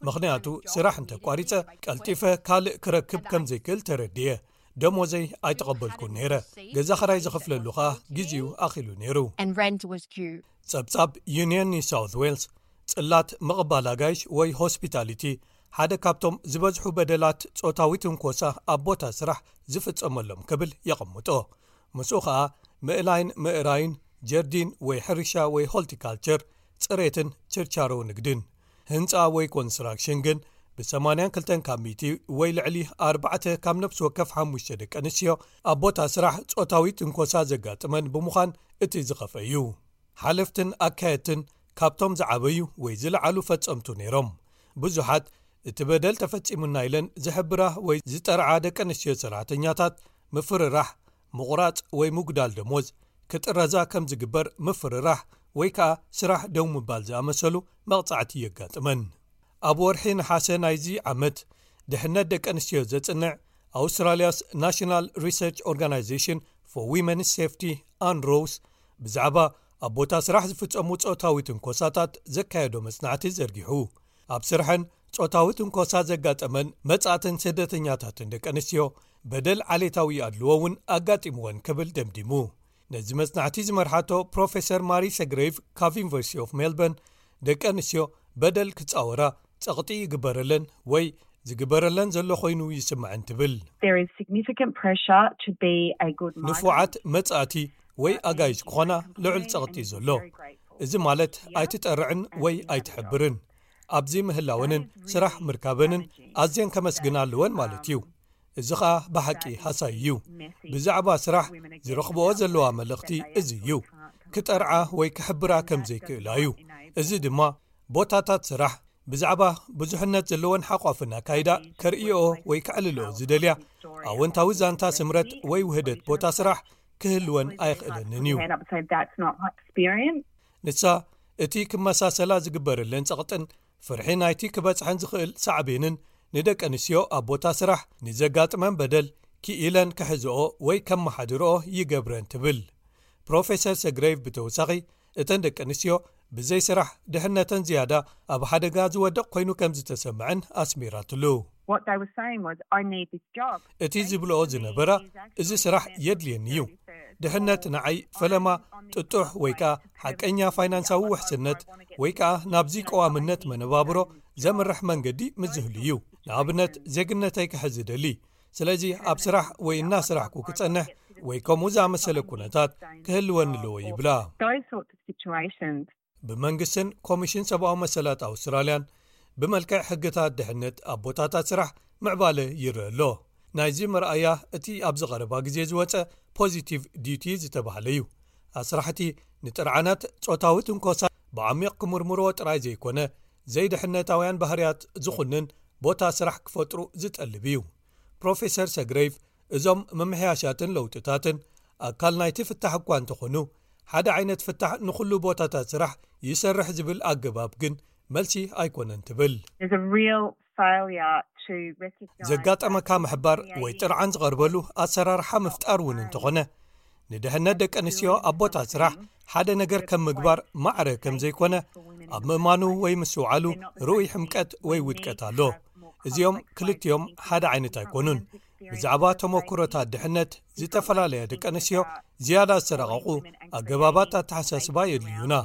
ምኽንያቱ ስራሕ እንተቋሪጸ ቀልጢፈ ካልእ ክረክብ ከም ዘይክእል ተረድየ። ደሞዘይ ኣይተቐበልኩን ነይረ። ገዛ ኸራይ ዝኸፍለሉ ኸኣ ግዜኡ ኣኺሉ ነይሩ። And rent was due. ጸብጻብ ዩኒየን ኒው ሳውት ዌልስ ጽላት ምቕባል ኣጋይሽ ወይ ሆስፒታሊቲ ሓደ ካብቶም ዝበዝሑ በደላት ጾታዊ ትንኮሳ ኣብ ቦታ ስራሕ ዝፍጸመሎም ክብል የቐምጦ። ምስኡ ኸኣ ምእላይን ምእራይን፣ ጀርዲን ወይ ሕርሻ ወይ ሆልቲካልቸር፣ ጽሬትን ችርቻሮ ንግድን። ህንጻ ወይ ኮንስትራክሽን ግን ብ82 ካብ ሚእቲ ወይ ልዕሊ ኣርባዕተ ካብ ነፍሲ ወከፍ ሓሙሽተ ደቂ ኣንስትዮ ኣብ ቦታ ስራሕ ጾታዊ ትንኮሳ ዘጋጥመን ብምዃን እቲ ዝኸፍአ እዩ። ሓለፍትን ኣካየድትን ካብቶም ዝዓበዩ ወይ ዝለዓሉ ፈጸምቱ ነይሮም። ብዙሓት እቲ በደል ተፈጺሙና ኢለን ዝሕብራ ወይ ዝጠርዓ ደቂ ኣንስትዮ ሰራሕተኛታት ምፍርራሕ፣ ምቑራጽ ወይ ምጉዳል ደሞዝ፣ ክጥረዛ ከም ዝግበር ምፍርራሕ ወይ ከኣ ስራሕ ደው ምባል ዝኣመሰሉ መቕጻዕቲ የጋጥመን። ኣብ ወርሒ ነሓሰ ናይዚ ዓመት ድሕነት ደቂ ኣንስትዮ ዘጽንዕ ኣውስትራልያስ ናሽናል ሪሰርች ኦርጋናይዜሽን for Women's Safety፣ ኣንሮውስ፣ ብዛዕባ ኣብ ቦታ ስራሕ ዝፍጸሙ ጾታዊ ትንኮሳታት ዘካየዶ መጽናዕቲ ዘርጊሑ። ኣብ ስርሐን ጾታዊ ትንኮሳ ዘጋጠመን መጻእትን ስደተኛታትን ደቂ ኣንስትዮ በደል ዓሌታዊ ኣድልዎ እውን ኣጋጢምወን ክብል ደምዲሙ። ነዚ መጽናዕቲ ዝመርሓቶ ፕሮፌሰር ማሪ ሰግሬቭ ካብ ዩኒቨርሲቲ ኦፍ ሜልበርን፣ ደቂ ኣንስትዮ በደል ክጻወራ ጸቕጢ ይግበረለን ወይ ዝግበረለን ዘሎ ኮይኑ ይስምዐን ትብል። There is significant pressure to be a good migrant. ንፉዓት መጻእቲ ወይ ኣጋይሽ ክኾና ልዑል ጸቕጢ ዘሎ። እዚ ማለት ኣይትጠርዕን ወይ ኣይትሕብርን። ኣብዚ ምህላወንን ስራሕ ምርካበንን ኣዝየን ከመስግና ኣለወን ማለት እዩ። እዚ ኸኣ ብሓቂ ሃሳይ እዩ። ብዛዕባ ስራሕ ዝረኽብኦ ዘለዋ መልእኽቲ እዚ እዩ። ክጠርዓ ወይ ክሕብራ ከም ዘይክእላ እዩ። እዚ ድማ ቦታታት ስራሕ ብዛዕባ ብዙሕነት ዘለወን ሓቋፍን ኣካይዳ ከርእይኦ ወይ ከዕልልኦ ዝደልያ ኣወንታዊ ዛንታ ስምረት ወይ ውህደት ቦታ ስራሕ ክህልወን ኣይኽእለንን እዩ። Head up and say, "That's not my experience." ንሳ እቲ ክመሳሰላ ዝግበረለን ጸቕጥን ፍርሒ ናይቲ ክበጽሐን ዝኽእል ሳዕቤንን ንደቂ ኣንስትዮ ኣብ ቦታ ስራሕ ንዘጋጥመን በደል ክኢለን ክሕዝኦ ወይ ከመሓድርኦ ይገብረን ትብል። ፕሮፌሰር ሰግሬቭ ብተወሳኺ እተን ደቂ ኣንስትዮ ብዘይ ስራሕ ድሕነተን ዝያዳ ኣብ ሓደጋ ዝወድቕ ኮይኑ ከም ዝተሰምዐን ኣስሚራትሉ። What they were saying was, "I need this job." እቲ ዝብልኦ ዝነበራ እዚ ስራሕ የድልየኒ እዩ። ድሕነት ንዓይ ፈለማ ጥጡሕ ወይ ከኣ ሓቀኛ ፋይናንሳዊ ውሕስነት ወይ ከኣ ናብዚ ቀዋምነት መነባብሮ ዘምርሕ መንገዲ ምዝህሉ እዩ። ንኣብነት ዜግነተይ ክሕዝ ደሊ። ስለዚ ኣብ ስራሕ ወይ እናስራሕኩ ክጸንሕ ወይ ከምኡ ዝኣመሰለ ኩነታት ክህልወኒ ኣለዎ ይብላ። Those sorts of situations. ብመንግስትን ኮሚሽን ሰብኣዊ መሰላት ኣውስትራልያን ብመልክዕ ሕግታት ድሕነት ኣብ ቦታታት ስራሕ ምዕባለ ይረአ ኣሎ። ናይዚ መርኣያ እቲ ኣብዚ ቀረባ ግዜ ዝወጸ ፖዚቲቭ ዲዩቲ ዝተባህለ እዩ። ኣስራሕቲ ንጥርዓናት ጾታዊ ትንኮሳ ብዓሚቕ ክምርምርዎ ጥራይ ዘይኮነ ዘይድሕነታውያን ባህርያት ዝኹንን ቦታ ስራሕ ክፈጥሩ ዝጠልብ እዩ። ፕሮፌሰር ሰግሬቭ እዞም ምምሕያሻትን ለውጥታትን ኣካል ናይቲ ፍታሕ እኳ እንተኾኑ ሓደ ዓይነት ፍታሕ ንኹሉ ቦታታት ስራሕ ይሰርሕ ዝብል ኣገባብ ግን መልሲ ኣይኮነን ትብል። There's a real failure to recognise ዘጋጠመካ ምሕባር ወይ ጥርዓን ዝቐርበሉ ኣሰራርሓ ምፍጣር እውን እንተኾነ ንድሕነት ደቂ ኣንስትዮ ኣብ ቦታ ስራሕ ሓደ ነገር ከም ምግባር ማዕረ ከም ዘይኮነ ኣብ ምእማኑ ወይ ምስውዓሉ ርኡይ ሕምቀት ወይ ውድቀት ኣሎ። እዚኦም ክልቲኦም ሓደ ዓይነት ኣይኮኑን። ብዛዕባ ተመክሮታት ድሕነት ዝተፈላለያ ደቂ ኣንስትዮ ዝያዳ ዝተረቐቑ ኣገባባት ኣተሓሳስባ የድልዩና።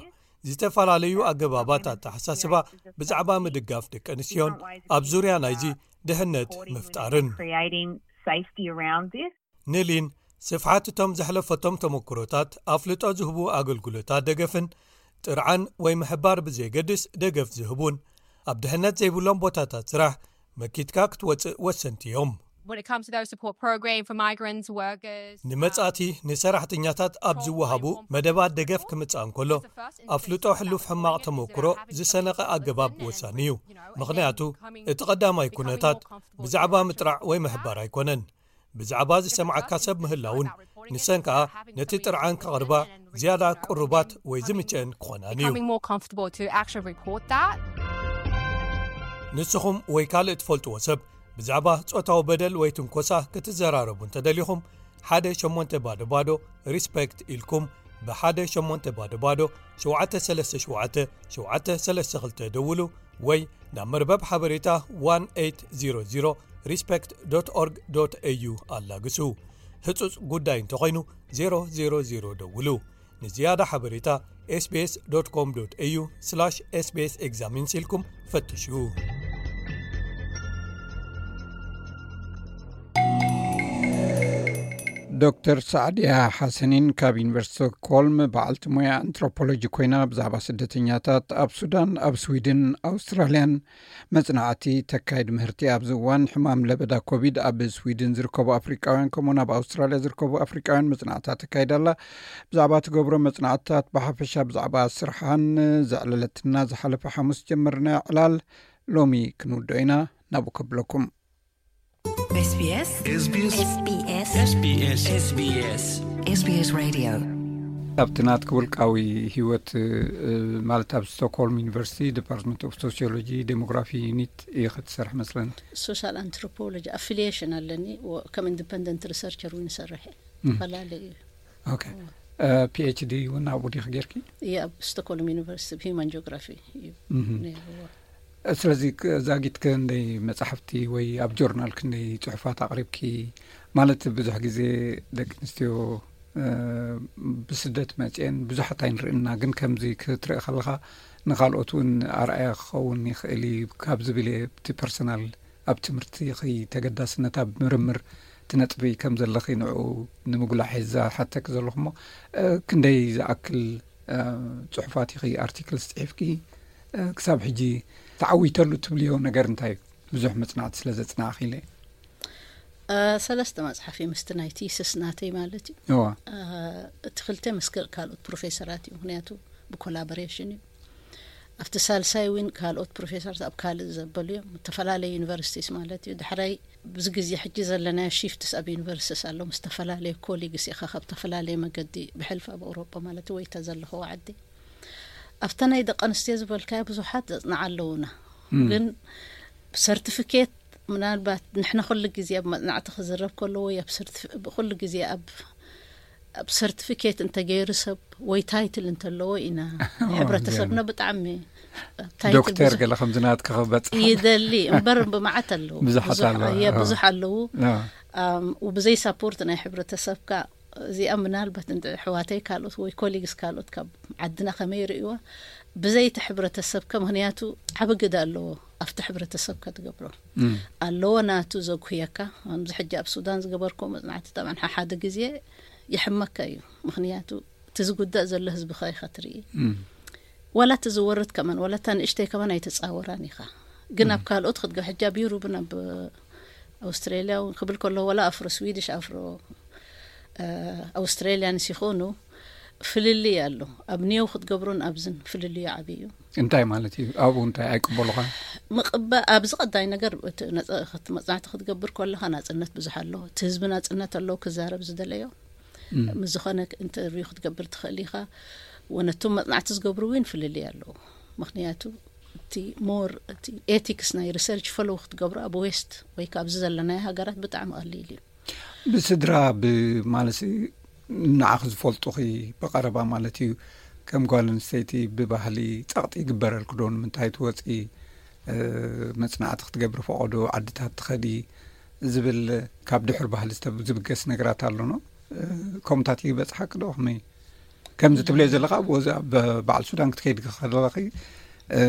ዝተፈላለዩ ኣገባባት ኣተሓሳስባ ብዛዕባ ምድጋፍ ደቂ ኣንስትዮን ኣብ ዙርያ ናይዚ ድሕነት ምፍጣርን። Creating safety around this. ንሊን ስፍሓት እቶም ዘሕለፈቶም ተመክሮታት ኣፍልጦ ዝህቡ ኣገልግሎታት ደገፍን ጥርዓን ወይ ምሕባር ብዘየገድስ ደገፍ ዝህቡን ኣብ ድሕነት ዘይብሎም ቦታታት ስራሕ መኪትካ ክትወፅእ ወሰንቲ እዮም። When it comes to those support programs for migrants, workers, ንመጻእቲ ንሰራሕተኛታት ኣብ ዝወሃቡ መደባት ደገፍ ክምጻእ እንከሎ ኣፍልጦ ሕሉፍ ሕማቕ ተመክሮ ዝሰነቐ ኣገባብ ወሳኒ እዩ። ምኽንያቱ እቲ ቀዳማይ ኩነታት ብዛዕባ ምጥራዕ ወይ ምሕባር ኣይኮነን። ብዛዕባ ዝሰምዓካ ሰብ ምህላውን ንሰን ከኣ ነቲ ጥርዓን ከቕርባ ዝያዳ ቅሩባት ወይ ዝምቸአን ክኾናን እዩ። Becoming more comfortable to actually report that. ንስኹም ወይ ካልእ ትፈልጥዎ ሰብ ብዛዕባ ጾታዊ በደል ወይ ትንኮሳ ክትዘራረቡ እንተደሊኹም ሓደ ሸሞንተ ባዶ ባዶ ሪስፔክት ኢልኩም ብ ሓደ ሸሞንተ ባዶ ባዶ ሸውዓተ ሰለስተ ሸውዓተ ሸውዓተ ሰለስተ ክልተ ደውሉ ወይ ናብ መርበብ ሓበሬታ one eight zero zero respect dot org dot au ኣላግሱ። ህጹጽ ጉዳይ እንተኾይኑ ዜሮ ዜሮ ዜሮ ደውሉ። ንዝያዳ ሓበሬታ ኤስቢኤስ ዶት ኮም ዶት ኤዩ ስላሽ ኤስቢኤስ ኤግዛሚንስ ኢልኩም ፈትሹ። ዶክተር ሳዕድያ ሓሰኒን ካብ ዩኒቨርሲቲ ስቶክሆልም በዓልቲ ሞያ ኣንትሮፖሎጂ ኮይና ብዛዕባ ስደተኛታት ኣብ ሱዳን፣ ኣብ ስዊድን፣ ኣውስትራልያን መጽናዕቲ ተካይድ ምህርቲ። ኣብዚ እዋን ሕማም ለበዳ ኮቪድ ኣብ ስዊድን ዝርከቡ ኣፍሪቃውያን ከምኡውን ኣብ ኣውስትራልያ ዝርከቡ ኣፍሪቃውያን መጽናዕትታት ተካይድ ኣላ። ብዛዕባ ትገብሮ መጽናዕትታት ብሓፈሻ ብዛዕባ ስርሓን ዘዕለለትና ዝሓለፈ ሓሙስ ጀመርና ዕላል ሎሚ ክንውድኦ ኢና። ናብኡ ከብለኩም። SBS SBS SBS SBS SBS Radio። ኣብቲ ናትኪ ውልቃዊ ህይወት፣ እ፣ ማለት ኣብ ስቶክሆልም ዩኒቨርሲቲ ዲፓርትመንት ኦፍ ሶሲዮሎጂ ዴሞግራፊ ዩኒት ኢኺ ትሰርሒ መስለኒ። ሶሻል ኣንትሮፖሎጂ ኣፊሊዬሽን ኣለኒ፣ ወ-፣ ከም ኢንዲፐንደንት ሪሰርቸር እውን ይሰርሕ እየ። እም። ተፈላለዩ እዩ። ኦኬ። እ፣ ፒኤችዲ እውን ኣብኡ ዲኺ ጌርኪ? እየ፣ ኣብ ስቶክሆልም ዩኒቨርሲቲ ብ ሂውማን ጂኦግራፊ እዩ እም። ነይርዎ። ስለዚ ክ-፣ ዛጊት ክንደይ መጻሕፍቲ ወይ ኣብ ጆርናል ክንደይ ጽሑፋት ኣቕሪብኪ? ማለት ብዙሕ ግዜ ደቂ ኣንስትዮ፣ እ፣ ብስደት መጽኤን ብዙሓት ኣይንርእና፣ ግን ከምዚ ክትርኢ ከለኻ ንኻልኦት እውን ኣርኣያ ክኸውን ይኽእል እዩ ካብ ዝብል እየ። እቲ ፐርሰናል ኣብ ትምህርቲ ኸይ ተገዳስነት ኣብ ምርምር ትነጥቢ ከም ዘለኺ ንዕኡ ንምጉላሕ እየ ዝሓተኪ ዘለኹ እሞ፣ እ፣ ክንደይ ዝኣክል፣ እ፣ ጽሑፋት ኢኺ ኣርቲክልስ ጽሒፍኪ፣ እ፣ ክሳብ ሕጂ ተዓዊተሉ ትብልዮ ነገር እንታይ እዩ? ብዙሕ መጽናዕቲ ስለ ዘጽናዕኺ ኢለ። እ፣ ሰለስተ መጽሓፍ እዩ ምስቲ ናይ ቲስስ ናተይ ማለት እዩ። እዋ። እ፣ እቲ ክልተ ምስ ከ-፣ ካልኦት ፕሮፌሰራት እዩ፣ ምኽንያቱ ብኮላቦሬሽን እዩ። ኣብቲ ሳልሳይ እውን ካልኦት ፕሮፌሰርት ኣብ ካልእ ዘበሉ እዮም፣ ዝተፈላለዩ ዩኒቨርሲቲስ ማለት እዩ። ዳሕራይ ብዚ ግዜ ሕጂ ዘለናዮ ሺፍትስ ኣብ ዩኒቨርሲቲስ ኣሎ፣ ምስ ዝተፈላለዩ ኮሊግስ ኢኻ ካብ ዝተፈላለየ መገዲ ብሕልፊ ኣብ ኣውሮጳ ማለት እዩ፣ ወይ እታ ዘለኽዎ ዓዲ። ኣብታ ናይ ደቂ ኣንስትዮ ዝበልካዮ ብዙሓት ዘጽንዓ ኣለዉና። እም። ግን ብሰርቲፊኬት ምናልባት ንሕና ኩሉ ግዜ ኣብ መጽናዕቲ ክዝረብ ከሎ ወይ ኣብ ሰርቲፊ-፣ ኩሉ ግዜ ኣብ፣ ኣብ ሰርቲፊኬት እንተገይሩ ሰብ ወይ ታይትል እንተለዎ ኢና ሕብረተሰብና ብጣዕሚ ኣብ ታይትል ዶክተር ብዙሕ ገለ ከምዚ ናትካ ክበጽሕ ይደሊ እምበር ብመዓት ኣለዉ። ብዙሓት ብዙሕ፣ ኣለዉ። እየ፣ ኣዎ። ብዙሕ ኣለዉ። ኣዎ። ኣም፣ ብዘይ ሳፖርት ናይ ሕብረተሰብካ እዚኣ ምናልባት እንደ ኣሕዋተይ ካልኦት ወይ ኮሊግስ ካልኦት ካብ ዓድና ከመይ ይርእይዋ? ብዘይቲ ሕብረተሰብካ፣ ምኽንያቱ ዓቢ ግደ ኣለዎ ኣብቲ ሕብረተሰብካ ትገብሮ። እም። ኣለዎ ናቱ ዘጉህየካ። ከምዚ ሕጂ ኣብ ሱዳን ዝገበርክዎ መጽናዕቲ ጠብዓን ሓሓደ ግዜ ይሕመካ እዩ። ምኽንያቱ እቲ ዝጉዳእ ዘሎ ህዝብኻ ኢኻ ትርኢ። እም። ዋላ እቲ ዝወርድ ከማን፣ ዋላ እታ ንእሽተይ ከማን ኣይተጻወራን ኢኻ። ግን ኣብ እም። ካልኦት ክትገ-፣ ሕጂ ኣብ ዩሩብን ኣብ ኣውስትራልያ እውን ክብል ከሎ፣ ዋላ ኣፍሮ ስዊድሽ፣ ኣፍሮ፣ እ፣ ኣውስትራልያንስ ይኾኑ፣ ፍልልይ ኣሎ። ኣብ ኒው ክትገብሮን ኣብዝን ፍልልዩ ዓቢ እዩ። እንታይ ማለት እዩ? ኣብኡ እንታይ ኣይቅበሉኻ? ምቕባ-፣ ኣብዚ ቀዳይ ነገር እቲ ነጸ-፣ ክት-፣ መጽናዕቲ ክትገብር ከለኻ ናጽነት ብዙሕ ኣሎ። እቲ ህዝቢ ናጽነት ኣለዎ ክዛረብ ዝደለዮ። እም። ምስ ዝኾነ ኢንተርቪው ክትገብር ትኽእል ኢኻ። ወነቶም መጽናዕቲ ዝገብሩ እውን ፍልልይ ኣለዎ። ምኽንያቱ እቲ ሞር፣ እቲ ኤቲክስ ናይ ሪሰርች ፈሎው ክትገብሮ ኣብ ዌስት ወይ ካብዚ ዘለናዮ ሃገራት ብጣዕሚ ቀሊል እዩ። ብስድራ ብ-፣ ማለት ንዓኺ ዝፈልጡኺ ብቐረባ ማለት እዩ፣ ከም ጓል ኣንስተይቲ ብባህሊ ጸቕጢ ይግበረልኪ ዶ? ንምንታይ ትወጺ፣ እ፣ መጽናዕቲ ክትገብሪ ፈቐዶ ዓድታት ትኸዲ ዝብል ካብ ድሑር ባህሊ ዝተብ-፣ ዝብገስ ነገራት ኣሎ ዶ? እ፣ ከምኡታት ይበጽሓኪ ዶ? ከመይ? ከምዚ ትብልዮ ዘለኻ፣ ኣብ ወዚ ኣብ በዓል ሱዳን ክትከይድ ከለኺ፣ እ፣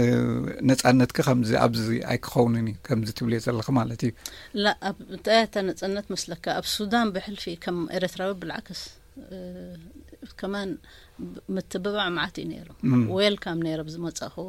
ነጻነትኪ ከምዚ ኣብዚ ኣይክኸውንን እዩ፣ ከምዚ ትብልዮ ዘለኺ ማለት እዩ። ላ፣ ኣብ፣ እንታይ እታ ነጻነት መስለካ? ኣብ ሱዳን ብሕልፊ ከም ኤርትራዊ ብልዓክስ፣ እ፣ ከማን ብ-፣ ምትብባዕ መዓት እዩ ነይሩ። እም። ዌልካም ነይረ ብዝመጻእኽዎ።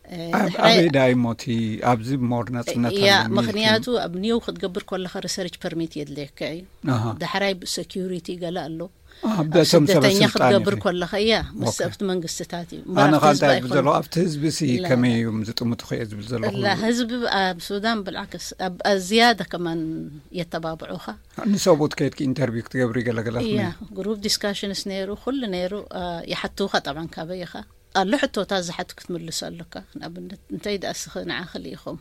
እ፣ ኣብ፣ ዳሕራይ ኣበይ ደኣ እሞ እቲ ኣብዚ ሞር ነጻነት እያ፣ ኣለኒ ኢልኪ? ምኽንያቱ ኣብ ኒው ክትገብር ከለኻ ሪሰርች ፐርሚት የድልየካ እዩ። ኣሃ። ዳሕራይ ብሰኪዩሪቲ ገለ ኣሎ። አ፣ ኣብ በቶም ሰበ ስደተኛ ስልጣን ክትገብር ኢኺ። ከለኻ፣ እያ፣ ምስ ኦኬ። ኣብቲ መንግስትታት እዩ። እምበር ኣነ ኣብቲ ኻንታ ህዝቢ ዝብል ዘለኹ፣ ኣይኮነን። ኣብቲ ህዝቢ ሲ ላ፣ ከመይ ላ። እዮም ዝጥምቱ ኸየ ዝብል ዘለኹ። ላ፣ ህዝቢ ብ-፣ ኣብ ሱዳን ብልዓክስ፣ ኣብ፣ ኣብ ዝያዳ ከማን የተባብዑኻ። ንሰብኡት ከይድኪ ኢንተርቪው ክትገብሪ ገለ ገለ እያ፣ ከመይ? ግሩፕ ዲስካሽንስ ነይሩ፣ ኩሉ ነይሩ፣ አ፣ ይሓትውኻ ጠብዓን ካበይ ኢኻ። ኣሎ ሕቶታት ዝሓቱ ክትምልሶ ኣለካ። ንኣብነት፣ እንታይ ደኣ እስኺ ንዓኺ ልኢኹም?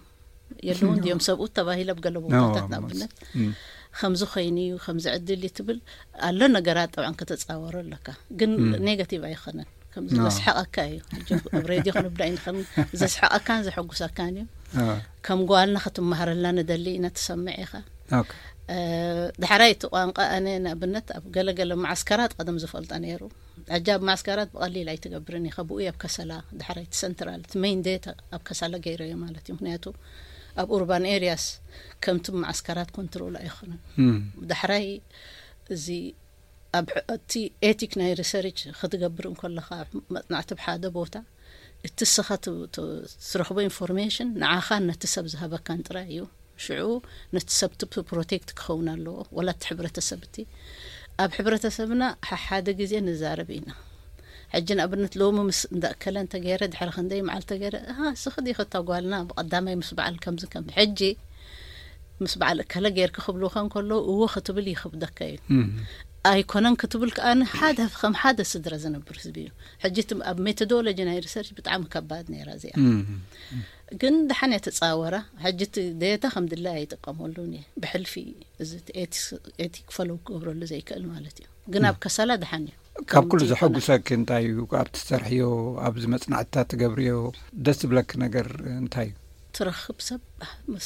የለውን ድዮም ሰብኡት ተባሂለ ኣብ ገለ ኖ፣ ቦታታት ኣብ ንኣብነት። እም። ከምዚ ኮይኑ እዩ፣ ከምዚ ዕድል እዩ ትብል ኣሎ። ነገራት ጠብዓን ከተጻወሮ ኣለካ፣ ግን ኔጋቲቭ ኣይኮነን። ከምዚ ዘስሓቐካ እዩ። ሕጂ ኣብ ሬድዮ ክንብዳ ኢና፣ ከም ዘስሓቐካን ዘሐጉሰካን እዩ። ከም ጓልና ክትመሃረልና ንደሊ ኢና፣ ትሰምዕ ኢኻ። ዳሕራይ እቲ ቋንቋ ኣነ ንኣብነት ኣብ ገለገለ መዓስከራት ቀደም ዝፈልጦ ነይሩ። ሕጂ ኣብ መዓስከራት ብቐሊል ኣይትገብርን ኢኻ። ብኡ ኣብ ከሰላ ዳሕራይ እቲ ሰንትራል እቲ ሜይን ዴታ ኣብ ከሰላ ገይረዮ ማለት እዩ። ምክንያቱ ኣብ ኡርባን ኤሪያስ ከምቲ መዓስከራት ኮንትሮል ኣይኮነን። ዳሕራይ እዚ ኣብ እቲ ኤቲክ ናይ ሪሰርች ክትገብር እንከለኻ፣ መጽናዕቲ ኣብ ሓደ ቦታ እቲ ስኻ ትረኽቦ ኢንፎርሜሽን ንዓኻን ነቲ ሰብ ዝሃበካን ጥራይ እዩ። ሽዑ ነቲ ሰብ ፕሮቴክት ክኸውን ኣለዎ፣ ወላ እቲ ሕብረተሰብ እቲ። ኣብ ሕብረተሰብና ሓደ ግዜ ንዛረብ ኢና። ሕጂ ንኣብነት ሎሚ ምስ እንዳእከለ እንተገይረ፣ ድሕሪ ክንደይ መዓልቲ ተገይረ፣ "ኣሃ፣ ስኺ ዲኺ እታ ጓልና ብቐዳማይ ምስ በዓል ከምዚ ከም?" ሕጂ ምስ በዓል እከለ ገይርኪ ክብሉኻ እንከለዉ፣ እዎ ክትብል ይኽብደካ እዩ። ኣይኮነን ክትብል ከኣ ሓደ ከም ሓደ ስድራ ዝነብር ህዝቢ እዩ። ሕጂ እቲ ኣብ ሜቶዶሎጂ ናይ ሪሰርች ብጣዕሚ ከባድ ነይራ እዚኣ። ግን ደሓን እየ ተጻወራ። ሕጂ እቲ ዴታ ከም ድላይ ኣይጥቀመሉን እየ። ብሕልፊ እዚ ኤቲክ ፈለው ክገብረሉ ዘይክእል ማለት እዩ። ግን ኣብ ከሰላ ደሓን እዩ። ካብ ኩሉ ዘሐጉሰኪ እንታይ እዩ? ኣብ ትሰርሕዮ፣ ኣብዚ መጽናዕትታት ትገብርዮ ደስ ዝብለኪ ነገር እንታይ እዩ? ትረኽብ ሰብ፣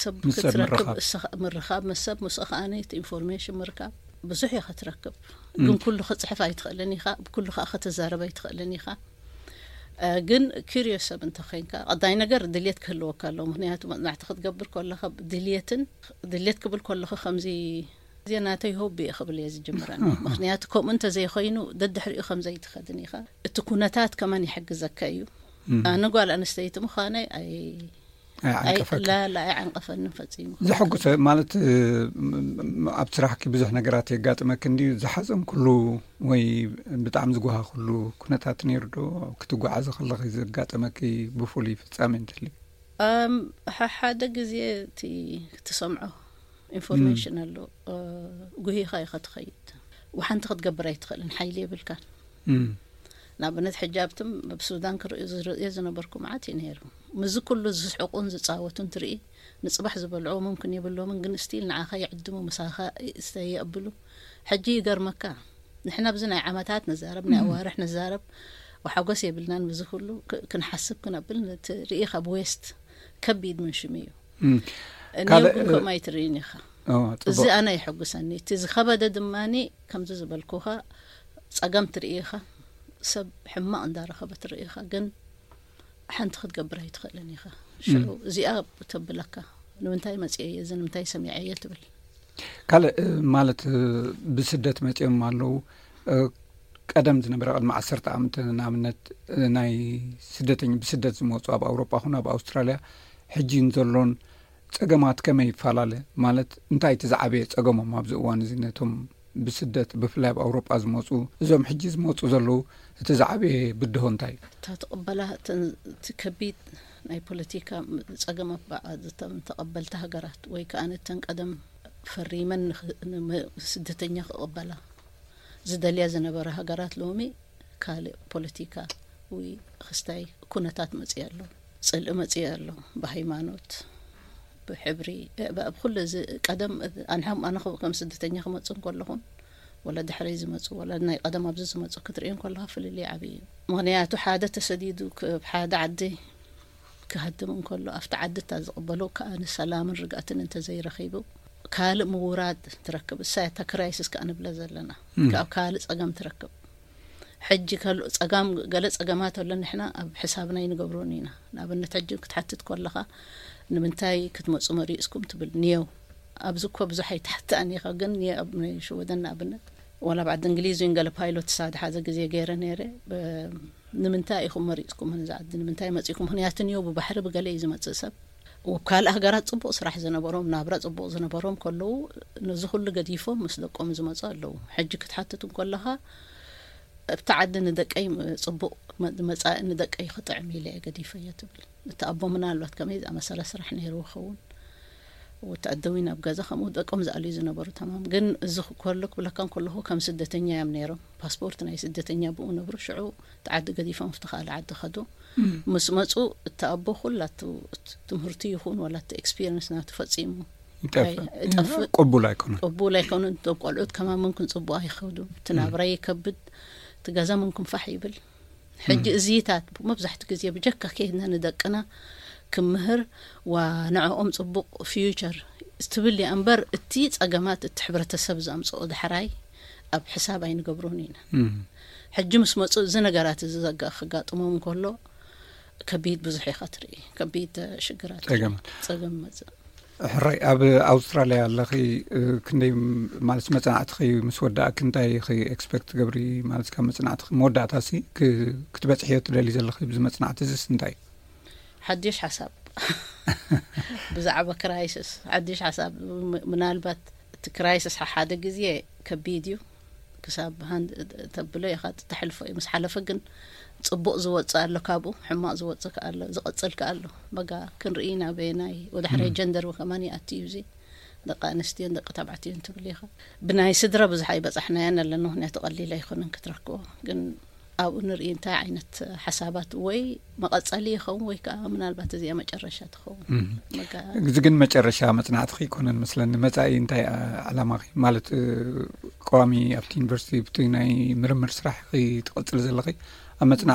ሰብ ክትረክብ፣ ምርኻብ፣ ምስ ሰብ ምስኡ ከኣ ነቲ ኢንፎርሜሽን ምርካብ። ብዙሕ ኢኻ ትረክብ፣ ግን ኩሉ ክጽሕፍ ኣይትኽእልን ኢኻ፣ ብኩሉ ከኣ ክትዛረብ ኣይትኽእልን ኢኻ። ግን ኪሪዮስ ሰብ እንተኾይንካ፣ ቀዳይ ነገር ድልየት ክህልወካ ኣለዎ። ምክንያቱ መጽናዕቲ ክትገብር ከለኻ ድልየትን፣ ድልየት ክብል ከለኹ ከምዚ፣ እዚ ናተይ ሆቢ እየ ክብል እየ ዝጅምረን። ምክንያቱ ከምኡ እንተዘይኮይኑ ደድሕሪኡ ከምዘይትኸድን ኢኻ። እቲ ኩነታት ከማን ይሕግዘካ እዩ። ኣነ ጓል ኣንስተይቲ ምዃነይ ኣይ ኣይዓንቀፈካ። ላላ ኣይዓንቀፈንን ፈጺሙ። ዘሐጉሰ ማለት፣ ኣብ ስራሕኪ ብዙሕ ነገራት የጋጥመኪ እንድዩ? ዝሓዘንክሉ ወይ ብጣዕሚ ዝጓሃክሉ ኩነታት ነይሩ ዶ? ክትጓዓዚ ከለኺ ዘጋጠመኪ ብፍሉይ ፍጻሜ እንተልዩ? ሓደ ግዜ እቲ ትሰምዖ ኢንፎርሜሽን ኣሎ፣ ጉሂኻ ኢኻ ትኸይድ። ወሓንቲ ክትገብር ኣይትኽእልን፣ ሓይሊ የብልካን። ንኣብነት ሕጂ ኣብትም ኣብ ሱዳን ክርእዩ ዝርእዮ ዝነበርኩ መዓት እዩ ነይሩ። ምስዚ ኩሉ ዝስሕቁን ዝጻወቱን ትርኢ፣ ንጽባሕ ዝበልዕዎ ሙምክን የብሎምን፣ ግን ስቲል ንዓኻ ይዕድሙ፣ ምሳኻ ይስተይ የብሉ። ሕጂ ይገርመካ፣ ንሕና ኣብዚ ናይ ዓመታት ንዛረብ፣ ናይ ኣዋርሕ ንዛረብ፣ ወሓጎስ የብልናን። ብዚ ኩሉ ክንሓስብ ክነብል፣ ነቲ ርኢኻ ብዌስት ከቢድ ምን ሽም እዩ። ካልእ ግን ከምኡ ኣይትርእይን ኢኻ። እዚ ኣነ ይሕጉሰኒ። እቲ ዝኸበደ ድማ ከምዚ ዝበልኩኻ ጸገም ትርኢ ኢኻ። ሰብ ሕማቕ እንዳረኸበ ትርኢ ኢኻ፣ ግን ሓንቲ ክትገብር ኣይትኽእልን ኢኻ። ሽዑ እዚኣ ተብለካ፣ ንምንታይ መጽኤ እየ፣ እዚ ንምንታይ ሰሚዐ እየ ትብል። ካልእ ማለት ብስደት መጽኦም ኣለዉ። ቀደም ዝነበረ ቅድሚ ዓሰርተ ዓመት ንኣብነት ናይ ስደተኛ ብስደት ዝመፁ ኣብ ኣውሮጳ ኹን ኣብ ኣውስትራልያ ሕጂ ንዘሎን ጸገማት ከመይ ይፈላለ? ማለት እንታይ እቲ ዝዓበየ ጸገሞም ኣብዚ እዋን እዚ ነቶም ብስደት ብፍላይ ኣብ ኣውሮጳ ዝመፁ እዞም ሕጂ ዝመፁ ዘለዉ እቲ ዝዓበየ ብድሆ እንታይ እዩ? እታ ትቕበላ እቲ ከቢድ ናይ ፖለቲካ ጸገም ኣባኣ ተቐበልቲ ሃገራት ወይ ከዓ ነተን ቀደም ፈሪመን ስደተኛ ክቕበላ ዝደልያ ዝነበራ ሃገራት ሎሚ ካልእ ፖለቲካ ወይ ክስታይ ኩነታት መጽእ ኣሎ፣ ጽልኢ መጽእ ኣሎ፣ ብሃይማኖት፣ ብሕብሪ፣ ብኩሉ እዚ ቀደም ኣንሕም ኣነ ከም ስደተኛ ክመጽእ እንከለኹን ወላ ድሕረይ ዝመጹ ወላ ናይ ቀደም ኣብዚ ዝመጹ ክትርእዮም ከለኻ ፍልልይ ዓብዪ እዩ። ምኽንያቱ ሓደ ተሰዲዱ ካብ ሓደ ዓዲ ክሃድም እንከሎ ኣብቲ ዓዲ እታ ዝቕበሎ ከኣ ንሰላምን ርግኣትን እንተዘይረኺቡ ካልእ ምውራድ ትረክብ። እሳ እታ ክራይሲስ ከኣ ንብለ ዘለና ካብ ካልእ ጸገም ትረክብ። ሕጂ ከሎ ጸጋም ገለ ጸገማት ኣሎ ንሕና ኣብ ሕሳብና ይንገብሮን ኢና። ንኣብነት ሕጂ ክትሓትት ከለኻ ንምንታይ ክትመጹ መሪጽኩም ትብል ንየው። ኣብዚ እኮ ብዙሕ ኣይትሓትኣን ኢኻ ግን ንየ ኣብ ናይ ሽወደን ንኣብነት ወላ ኣብ ዓዲ እንግሊዝ እውን ገለ ፓይሎት ሳድ ሓደ ግዜ ገይረ ነይረ። ንምንታይ ኢኹም መሪጽኩም ነዚ ዓዲ ንምንታይ መጺእኩም? ምክንያቱ ንየው ብባሕሪ ብገለ እዩ ዝመጽእ ሰብ። ኣብ ካልእ ሃገራት ጽቡቕ ስራሕ ዝነበሮም ናብራ ጽቡቕ ዝነበሮም ከለዉ ነዚ ኩሉ ገዲፎም ምስ ደቆም ዝመጹ ኣለዉ። ሕጂ ክትሓትት እንከለኻ ኣብቲ ዓዲ ንደቀይ ጽቡቕ መጻኢ ንደቀይ ክጥዕም ኢለ እየ ገዲፈዮ ትብል። እቲ ኣቦ ምናልባት ከመይ ዝኣመሰለ ስራሕ ነይርዎ ክኸውን። ወተኣደዊ ናብ ገዛ ከምኡ ደቆም ዝኣልዩ ዝነበሩ ተማም ግን እዚ ከሎ ክብለካ እንከለኹ ከም ስደተኛ እዮም ነይሮም። ፓስፖርት ናይ ስደተኛ ብኡ ነብሩ ሽዑ እቲ ዓዲ ገዲፎም ኣብቲ ካልእ ዓዲ ከዱ። ምስ መጹ እቲ ኣቦ ኩላቱ ትምህርቲ ይኹን ወላ እቲ ኤክስፒሪንስ ናቱ ፈጺሙ ይጠፍእ። ይጠፍእ። ቅቡል ኣይኮነን። ቅቡል ኣይኮኑን። እቶም ቆልዑት ከማን ምንኩም ጽቡቕ ኣይኸዱ። እቲ ናብራ ይከብድ። እቲ ገዛ ምንኩም ፋሕ ይብል። ሕጂ እዚታት መብዛሕትኡ ግዜ ብጀካ ከይድና ንደቅና ክምህር ዋ ንዕኦም ጽቡቕ ፊውቸር ትብል እያ እምበር፣ እቲ ጸገማት እቲ ሕብረተሰብ ዘምጽኦ ዳሕራይ ኣብ ሕሳብ ኣይንገብሮን ኢና። ሕጂ ምስ መጹ እዚ ነገራት እዚ ዘጋ ክጋጥሞም እንከሎ ከቢድ ብዙሕ ኢኻ ትርኢ፣ ከቢድ ሽግራት ትርኢ። ጸገማት። ጸገም መጽእ። ሕራይ፣ ኣብ ኣውስትራልያ ኣለኺ፣ ክንደይ ማለት መጽናዕትኺ ምስ ወዳእኪ እንታይ ኢኺ ኤክስፐክት ትገብሪ? ማለት ካብ መጽናዕትኺ መወዳእታሲ ክ- ክትበጽሕዮ ትደሊ ዘለኺ ብዚ መጽናዕቲ እዚስ እንታይ እዩ? ሓድሽ ሓሳብ ብዛዕባ ክራይሲስ ሓድሽ ሓሳብ። ም- ምናልባት እቲ ክራይሲስ ሓደ ግዜ ከቢድ እዩ፣ ክሳብ ሃንድ ተብሎ ኢኻ ትተሕልፎ እዩ። ምስ ሓለፈ ግን ጽቡቕ ዝወጽእ ኣሎ፣ ካብኡ ሕማቕ ዝወጽእ ከኣ ኣሎ፣ ዝቐጽል ከኣ ኣሎ። በጋ ክንርኢ ናበየናይ ወደ ሕራይ ጀንደር ከማን ይኣቲ እዩ። እዚ ደቂ ኣንስትዮን ደቂ ተባዕትዮን ትብል ኢኻ። ብናይ ስድራ ብዙሕ ኣይበጻሕናያን ኣለና፣ ምክንያቱ ቀሊል ኣይኮነን ክትረክቦ። ግን ኣብኡ ንርኢ እንታይ ዓይነት ሓሳባት ወይ መቐጸሊ ይኸውን ወይ ከዓ ምናልባት እዚኣ መጨረሻ ትኸውን። በጋ እዚ ግን መጨረሻ መጽናዕትኺ ይኮነን መስለኒ። መጻኢ እንታይ ኣ- ዕላማኺ ማለት እ፣ ቀዋሚ ኣብቲ ዩኒቨርሲቲ ብቲ ናይ ምርምር ስራሕ ትቕጽል ዘለኺ ኣብ መጽና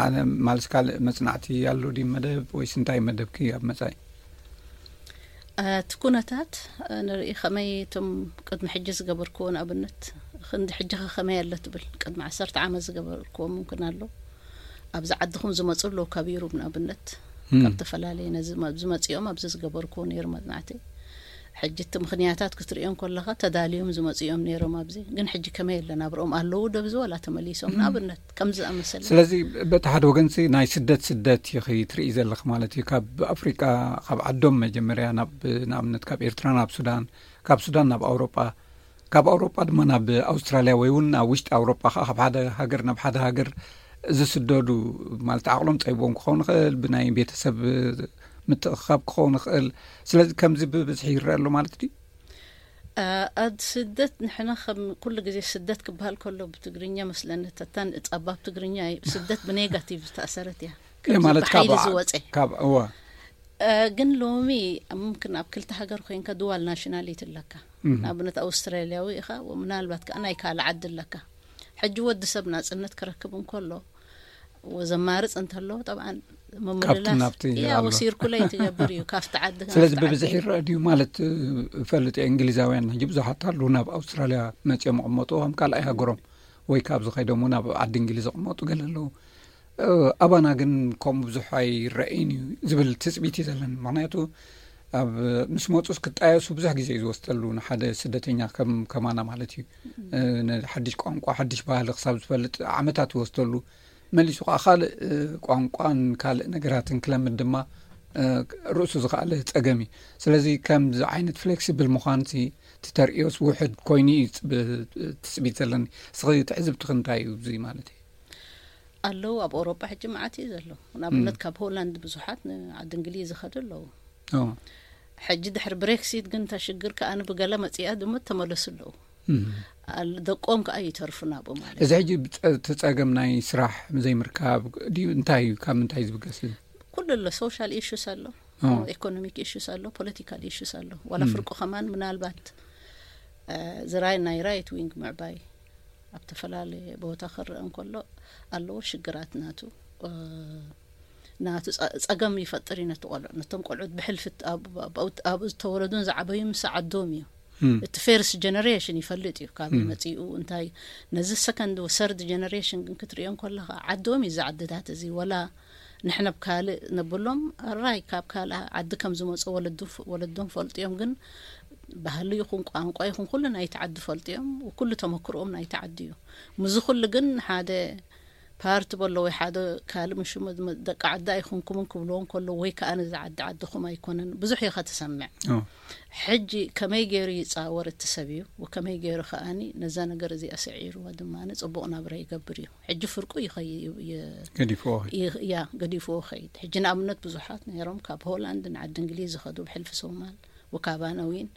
ማለት ካልእ መጽናዕቲ ኣሎ ድዩ መደብ ወይስ እንታይ መደብኪ ኣብ መጻኢ? እቲ ኩነታት ንርኢ ከመይ እቶም ቅድሚ ሕጂ ዝገበርክዎ ንኣብነት ክንዲ ሕጂ ከ ከመይ ኣሎ ትብል ቅድሚ ዓሰርተ ዓመት ዝገበርክዎ ምምክን ኣሎ። ኣብዚ ዓድኹም ዝመፁ ኣለዉ ካብ ዩሩብ ንኣብነት ካብ ዝተፈላለየ ነዚ ዝመፅኦም ኣብዚ ዝገበርክዎ ነይሩ መፅናዕቲ። ሕጂ እቲ ምክንያታት ክትሪኦም ከለካ ተዳልዮም ዝመፅኦም ነይሮም ኣብዚ ግን ሕጂ ከመይ ኣሎ ናብርኦም ኣለዉ ደብዚ ወላ ተመሊሶም ንኣብነት ከምዚ ዝኣመሰለ። ስለዚ በቲ ሓደ ወገንሲ ናይ ስደት ስደት ኢኺ ትርኢ ዘለኺ ማለት እዩ። ካብ ኣፍሪቃ ካብ ዓዶም መጀመርያ ናብ ንኣብነት ካብ ኤርትራ ናብ ሱዳን፣ ካብ ሱዳን ናብ ኣውሮጳ፣ ካብ ኣውሮጳ ድማ ናብ ኣውስትራልያ ወይ እውን ኣብ ውሽጢ ኣውሮጳ ከዓ ካብ ሓደ ሃገር ናብ ሓደ ሃገር ዝስደዱ ማለት ዓቕሎም ፀይቦም ክኸውን ይኽእል፣ ብናይ ቤተሰብ ምትእኽኻብ ክኸውን ይኽእል። ስለዚ ከምዚ ብብዝሒ ይረአ ኣሎ ማለት ድዩ? ኣብ ስደት ንሕና ከም ኩሉ ግዜ ስደት ክበሃል ከሎ ብትግርኛ መስለኒ ተታን ጸባብ ትግርኛ እዩ። ስደት ብኔጋቲቭ ዝተኣሰረት እያ። እየ ማለት ካብ ብሓይሊ ዝወፀ ካብ እዋ ግን ሎሚ ምምክን ኣብ ክልተ ሃገር ኮይንካ ድዋል ናሽናሊቲ ኣለካ። ንኣብነት ኣውስትራልያዊ ኢኻ ምናልባት ከዓ ናይ ካልእ ዓዲ ኣለካ። ሕጂ ወዲ ሰብ ናፅነት ክረክብ እንከሎ ዘማርፅ እንተሎ ጠብዓን ምምልላስ ናብቲ ያው ኣሎ። ሲርኩሌት ይገብር እዩ ካብቲ ዓዲ ስለዚ ናብቲ ብብዝሒ ዓዲ። ይረአ ድዩ ማለት እ፣ እፈልጥ እየ። እንግሊዛውያን ሕጂ ብዙሓት ኣሉ ናብ ኣውስትራልያ መፅኦም ይቕመጡ ከም ካልኣይ ሃገሮም ወይ ካብዚ ከይዶም እውን ኣብ ዓዲ እንግሊዝ ይቕመጡ ገለ ኣለዉ። እ፣ ኣባና ግን ከምኡ ብዙሕ ኣይረአይን እዩ ዝብል ትፅቢት እዩ ዘለኒ። ምክንያቱ ኣብ ምስ መፁስ ክጣየሱ ብዙሕ ግዜ እዩ ዝወስደሉ ንሓደ ስደተኛ ከም ከማና ማለት እዩ። እ፣ ንሓድሽ ቋንቋ ሓድሽ ባህሊ ክሳብ ዝፈልጥ ዓመታት ይወስደሉ። መሊሱ ከዓ ካልእ እ፣ ቋንቋን ካልእ ነገራትን ክለምድ ድማ እ፣ ርእሱ ዝኸኣለ ፀገም እዩ። ስለዚ ከምዚ ዓይነት ፍሌክሲብል ምዃንሲ እቲ ተርእዮስ ውሕድ ኮይኑ እዩ ብ- ትፅቢት ዘለኒ። እስኺ ትዕዝብትኺ እንታይ እዩ እዚ ማለት እዩ? ኣለዉ ኣብ ኣውሮጳ ሕጂ መዓት እዩ ዘሎ። ንኣብነት ካብ ሆላንድ ብዙሓት ንዓዲ እንግሊዝ ዝኸዱ ኣለዉ። ኦ፣ ሕጂ ድሕሪ ብሬክሲት ግን እታ ሽግር ከኣ ብገለ መፂኣ ድማ ተመለሱ ኣለዉ። እም። ኣል- ደቆም ከኣ ይተርፉ ናብኡ ማለት እዚ ሕጂ ብፀ- እቲ ፀገም ናይ ስራሕ ዘይምርካብ ድዩ እንታይ እዩ? ካብ ምንታይ ዝብገስ እዩ? ኩሉ ኣሎ። ሶሻል ኢሹስ ኣሎ፣ ኦ። ኢኮኖሚክ ኢሹስ ኣሎ፣ ፖለቲካል ኢሹስ ኣሎ። ዋላ ፍርቁ ከማን ምናልባት እ፣ ዝራይ ናይ ራይት ዊንግ ምዕባይ ኣብ ተፈላለየ ቦታ ክረአ እንከሎ ኣለዎ ሽግራት ናቱ እ፣ ናቱ ጸ- ጸገም ይፈጥር እዩ ነቲ ቆልዑ ነቶም ቆልዑት ብሕልፊ ት- ኣብ- ኣብ- ኣብ- ኣብ ዝተወለዱን ዝዓበዩ ምስ ዓዶም እዩ። እቲ ፌርስት ጀነሬሽን ይፈልጥ እዩ ካብ መጺኡ እንታይ። ነዚ ሰከንድ ሰርድ ጀነሬሽን ግን ክትሪኦ እንከለኻ ዓዶም እዩ እዚ ዓድታት እዚ ወላ ንሕና ብ ካልእ ነብሎም ኣራይ ካብ ካልእ ዓዲ ከም ዝመፁ ወለዱ- ወለዶም ፈልጥዮም ግን ባህሊ ይኹን ቋንቋ ይኹን ኩሉ ናይቲ ዓዲ ፈልጥዮም። ኩሉ ተመክርኦም ናይቲ ዓዲ እዩ። ምዚ ኩሉ ግን ሓደ ፓርቲ በሎ ወይ ሓደ ካልእ ምሽሙ ደቂ ዓዲ ኣይኹንኩምን ክብልዎም ከሎ ወይ ከዓ ነዚ ዓዲ ዓድኹም ኣይኮነን ብዙሕ ኢኻ ትሰምዕ። ሕጂ ከመይ ገይሩ ይፃወር እቲ ሰብ እዩ ወከመይ ገይሩ ከኣኒ ነዛ ነገር እዚኣ ስዒርዎ ድማ ፅቡቕ ናብራ ይገብር እዩ። ሕጂ ፍርቁ ይኸይ- ይ- ገዲፍዎ ይ- ያ ገዲፍዎ ኸይድ። ሕጂ ንኣብነት ብዙሓት ነይሮም ካብ ሆላንድ ንዓዲ እንግሊዝ ዝኸዱ ብሕልፊ ሶማል ወካባና ዊን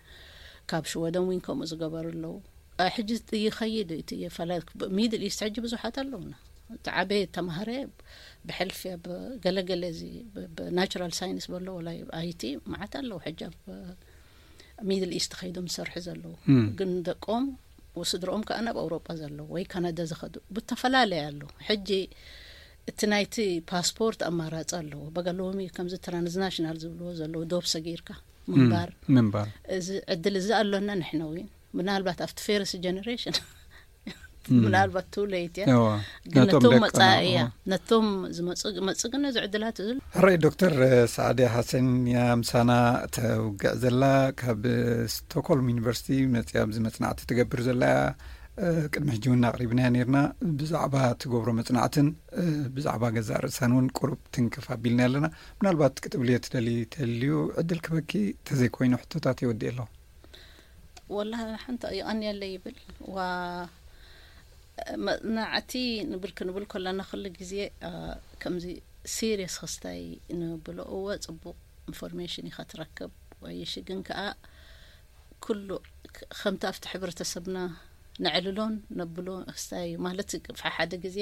ካብ ሽወደን ዊን ከምኡ ዝገበሩ ኣለዉ። እ፣ ሕጂ ይኸይድ እቲ የፈላ ሚድል ኢስት ሕጂ ብዙሓት ኣለውና። እቲ ዓበየ ተማሃረ ብሕልፊ ኣብ ገለገለ እዚ ብናቹራል ሳይንስ በሎ ወላ ኣይቲ መዓት ኣለዉ ሕጂ ኣብ ሚድል ኢስት ከይዶም ዝሰርሑ ዘለዉ፣ ግን ደቆም ወስድሮኦም ከዓ ናብ ኣውሮጳ ዘለዉ ወይ ካናዳ ዝኸዱ ብተፈላለየ ኣለዉ። ሕጂ እቲ ናይቲ ፓስፖርት ኣማራፂ ኣለዎ። በጋ ሎሚ ከምዚ ትራንስናሽናል ዝብልዎ ዘለዉ፣ ዶብ ሰጊርካ ምንባር፣ ምንባር። እዚ ዕድል እዚ ኣሎና ንሕና እውን። ምናልባት ኣብቲ ፌርስ ጀነሬሽን ምናልባት ቱ ሌት እያ። እዋ፣ ግን ነቶም ነቶም ደቀና፣ መጻኢ እያ። እዋ። ነቶም ዝመጹ፣ መጽእ ግን ነዚ ዕድላት እዚ። ሕራይ ዶክተር ሰዓዲ ሓሰን እያ ምሳና ተውግዕ ዘላ። ካብ ስቶክሆልም ዩኒቨርሲቲ መጽያ ኣብዚ መጽናዕቲ ትገብር ዘላ እያ። እ፣ ቅድሚ ሕጂ እውን ኣቕሪብናያ ነይርና። ብዛዕባ ትገብሮ መጽናዕትን፣ እ፣ ብዛዕባ ገዛእ ርእሳን እውን ቁሩብ ትንክፍ ኣቢልና ኣለና። ምናልባት ክትብልዮ ትደሊ ተልዩ ዕድል ክበኪ፣ ተዘይኮይኑ ሕቶታት የወድእ ኣለኹ። ወላ ሓንቲ ይቐንየለይ ይብል። ዋ፣ መጽናዕቲ ንብል ክንብል ከለና ኩሉ ግዜ፣ እ፣ ከምዚ ሲሪየስ ክስታይ ንብሎ፣ እወ፣ ጽቡቕ ኢንፎርሜሽን ኢኻ ትረክብ። ወይ ሽግን ከኣ ኩሉ ክ-፣ ከምቲ ኣብቲ ሕብረተሰብና ነዕልሎን ነብሎ ክስታይ እዩ። ማለት፣ ሓደ ግዜ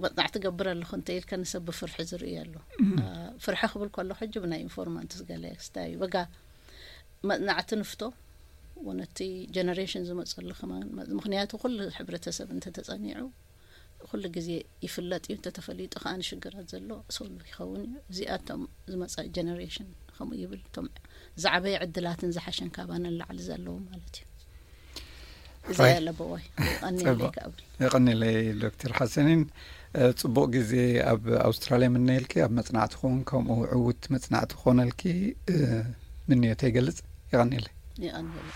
መጽናዕቲ ገብር ኣለኹ እንተ ኢልካ ንሰብ ብፍርሒ ዝርእዩ ኣሎ። እ፣ ፍርሒ ክብል ከሎ ሕጂ ብናይ ኢንፎርማንትስ ገለ ክስታይ እዩ። በጋ መጽናዕቲ ንፍቶ፣ ወነቲ ጀነሬሽን ዝመጸሉ ከማን፣ ምኽንያቱ ኩሉ ሕብረተሰብ እንተተጸኒዑ ኩሉ ግዜ ይፍለጥ እዩ። እንተተፈሊጡ ከኣ ንሽግራት ዘሎ ሶልቭ ይኸውን እዩ። እዚኣቶም ዝመጻ ጀነሬሽን ከምኡ ይብል። እቶም ዝዓበየ ዕድላትን ዝሓሸን ካባና ንላዕሊ ዘለዉ ማለት እዩ። እዚ ራይ። ያለ በዋይ፣ ይቐንየለይ ጽቡቕ። ከብል። ይቐንየለይ ዶክተር ሓሰኒን፣ እ፣ ጽቡቕ ግዜ ኣብ ኣውስትራልያ ምነየልኪ፣ ኣብ መጽናዕትኹም ከምኡ ዕዉት መጽናዕቲ ክኾነልኪ፣ እ፣ ምንዮተይ ይገልጽ። ይቐንየለይ። ይቐንየለይ።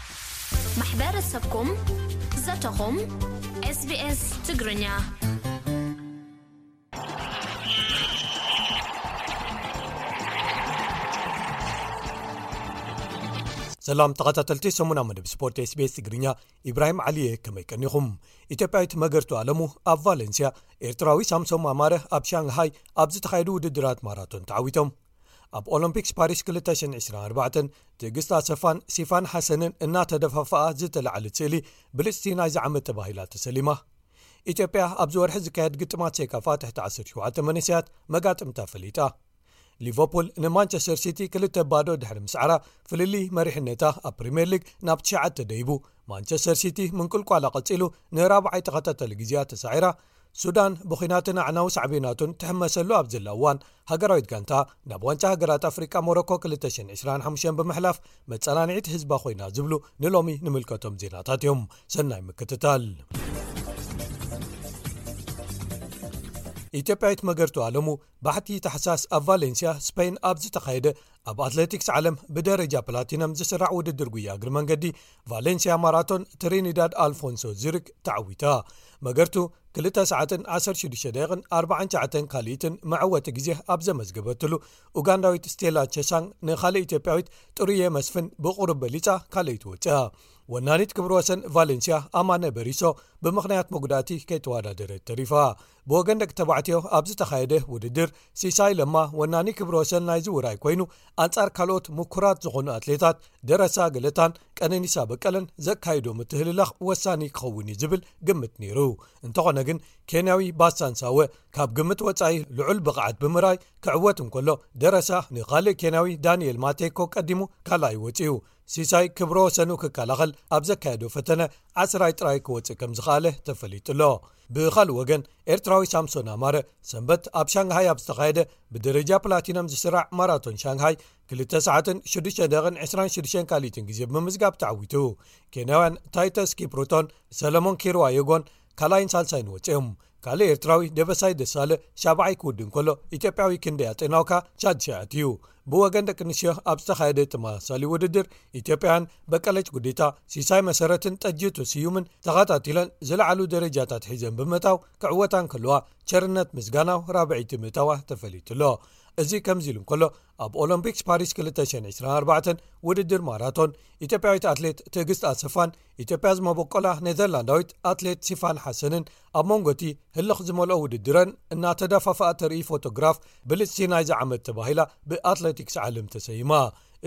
ማሕበረሰብኩም፣ ዘተኹም፣ ኤስ ቢ ኤስ ትግርኛ። ሰላም ተኸታተልቲ ሰሙና መደብ ስፖርት ኤስ ቢ ኤስ ትግርኛ፣ ኢብራሂም ዓሊየ፣ ከመይ ቀኒኹም? ኢትዮጵያዊት መገርቱ ኣለሙ ኣብ ቫለንሲያ፣ ኤርትራዊ ሳምሶም ኣማረ ኣብ ሻንግሃይ ኣብ ዝተኻየዱ ውድድራት ማራቶን ተዓዊቶም። ኣብ ኦሎምፒክስ ፓሪስ ክልተ ሽሕን ዕስራን ኣርባዕተን ትዕግስት ኣሰፋን ሲፋን ሓሰንን እናተደፋፍኣ ዝተላዕለት ስእሊ ብልጽቲ ናይዚ ዓመት ተባሂላ ተሰሊማ። ኢትዮጵያ ኣብዚ ወርሒ ዝካየድ ግጥማት ሴካፋ ትሕቲ ዓሰርተ ሸውዓተ መንእሰያት መጋጥምታ ፈሊጣ። ሊቨርፑል ንማንቸስተር ሲቲ ክልተ ባዶ ድሕሪ ምስዓራ፣ ፍልልይ መሪሕነታ ኣብ ፕሪምየር ሊግ ናብ ትሽዓተ ደይቡ። ማንቸስተር ሲቲ ምንቁልቋላ ቀጺሉ ንራብዓይ ተኸታታሊ ግዜኣ ተሳዒራ። ሱዳን ብኹናትን ኣዕናዊ ሳዕቤናቱን ትሕመሰሉ ኣብ ዘላ እዋን፣ ሃገራዊት ጋንታ ናብ ዋንጫ ሃገራት ኣፍሪቃ ሞሮኮ ክልተ ሽሕን ዕስራን ሓሙሽተን ብምሕላፍ መጸናንዒት ህዝባ ኮይና ዝብሉ ንሎሚ ንምልከቶም ዜናታት እዮም። ሰናይ ምክትታል። ኢትዮጵያዊት መገርቱ ኣለሙ ባሕቲ ታሕሳስ ኣብ ቫሌንሲያ ስፔን ኣብ ዝተኻየደ ኣብ ኣትሌቲክስ ዓለም ብደረጃ ፕላቲነም ዝስራዕ ውድድር ጉያ እግሪ መንገዲ ቫሌንሲያ ማራቶን ትሪኒዳድ ኣልፎንሶ ዙሪክ ተዓዊታ። መገርቱ ክልተ ሰዓትን ዓሰርተ ሽዱሽተ ደቂቕን ኣርባዓን ትሽዓተን ካልኢትን መዕወቲ ግዜ ኣብ ዘመዝገበትሉ፣ ኡጋንዳዊት ስቴላ ቸሳንግ ንኻልእ ኢትዮጵያዊት ጥሩየ መስፍን ብቑሩብ በሊጻ ካልኣይቲ ወጺኣ። ወናኒት ክብረ ወሰን ቫሌንሲያ ኣማነ በሪሶ ብምኽንያት መጉዳእቲ ከይተወዳደረት ተሪፋ። ብወገን ደቂ ተባዕትዮ ኣብ ዝተኻየደ ውድድር፣ ሲሳይ ለማ ወናኒ ክብረ ወሰን ናይዚ ውራይ ኮይኑ፣ ኣንጻር ካልኦት ምኩራት ዝኾኑ ኣትሌታት ደረሳ ገለታን ቀነኒሳ በቀለን ዘካይዶ ምትህልላኽ ወሳኒ ክኸውን እዩ ዝብል ግምት ነይሩ። እንተኾነ ግን፣ ኬንያዊ ባሳን ሳወ ካብ ግምት ወጻኢ ልዑል ብቕዓት ብምርኣይ ክዕወት እንከሎ፣ ደረሳ ንኻልእ ኬንያዊ ዳንኤል ማቴኮ ቀዲሙ ካልኣይ ወጺኡ። ሲሳይ ክብረ ወሰኑ ክከላኸል ኣብ ዘካየዶ ፈተነ ዓስራይ ጥራይ ክወጽእ ከም ዝኸኣለ ተፈሊጡ ኣሎ። ብኻልእ ወገን፣ ኤርትራዊ ሳምሶን ኣማረ ሰንበት ኣብ ሻንግሃይ ኣብ ዝተኻየደ ብደረጃ ፕላቲነም ዝስራዕ ማራቶን ሻንግሃይ ክልተ ሰዓትን ሽዱሽተ ደቂቕን ዕስራን ሽዱሽተን ካልኢትን ግዜ ብምምዝጋብ ተዓዊቱ። ኬንያውያን ታይተስ ኪፕሩቶን ሰለሞን ኪርዋየጎን ካልኣይን ሳልሳይን ወጺኦም። ካልእ ኤርትራዊ ደበሳይ ደሳለ ሻብዓይ ክውድእ እንከሎ፣ ኢትዮጵያዊ ክንደይ ኣጤናውካ ሻድሻይ ኣትዩ። ብወገን ደቂ ኣንስትዮ ኣብ ዝተኻየደ ተመሳሳሊ ውድድር፣ ኢትዮጵያውያን በቀለች ጉዲታ፣ ሲሳይ መሰረትን ጠጅቱ ስዩምን ተኸታቲለን ዝለዓሉ ደረጃታት ሒዘን ብምእታው ክዕወታ እንከለዋ፣ ቸርነት ምስጋናው ራብዐይቲ ምእታዋ ተፈሊጡ ኣሎ። እዚ ከምዚ ኢሉ እንከሎ፣ ኣብ ኦሎምፒክስ ፓሪስ ክልተ ሽሕን ዕስራን ኣርባዕተን ውድድር ማራቶን፣ ኢትዮጵያዊት ኣትሌት ትዕግስት ኣሰፋን ኢትዮጵያ ዝመበቆላ ኔዘርላንዳዊት ኣትሌት ሲፋን ሓሰንን ኣብ መንጎ እቲ ህልኽ ዝመልኦ ውድድረን እናተደፋፍኣ ተርኢ ፎቶግራፍ ብልጽቲ ናይዚ ዓመት ተባሂላ ብኣትሌቲክስ ዓለም ተሰይማ።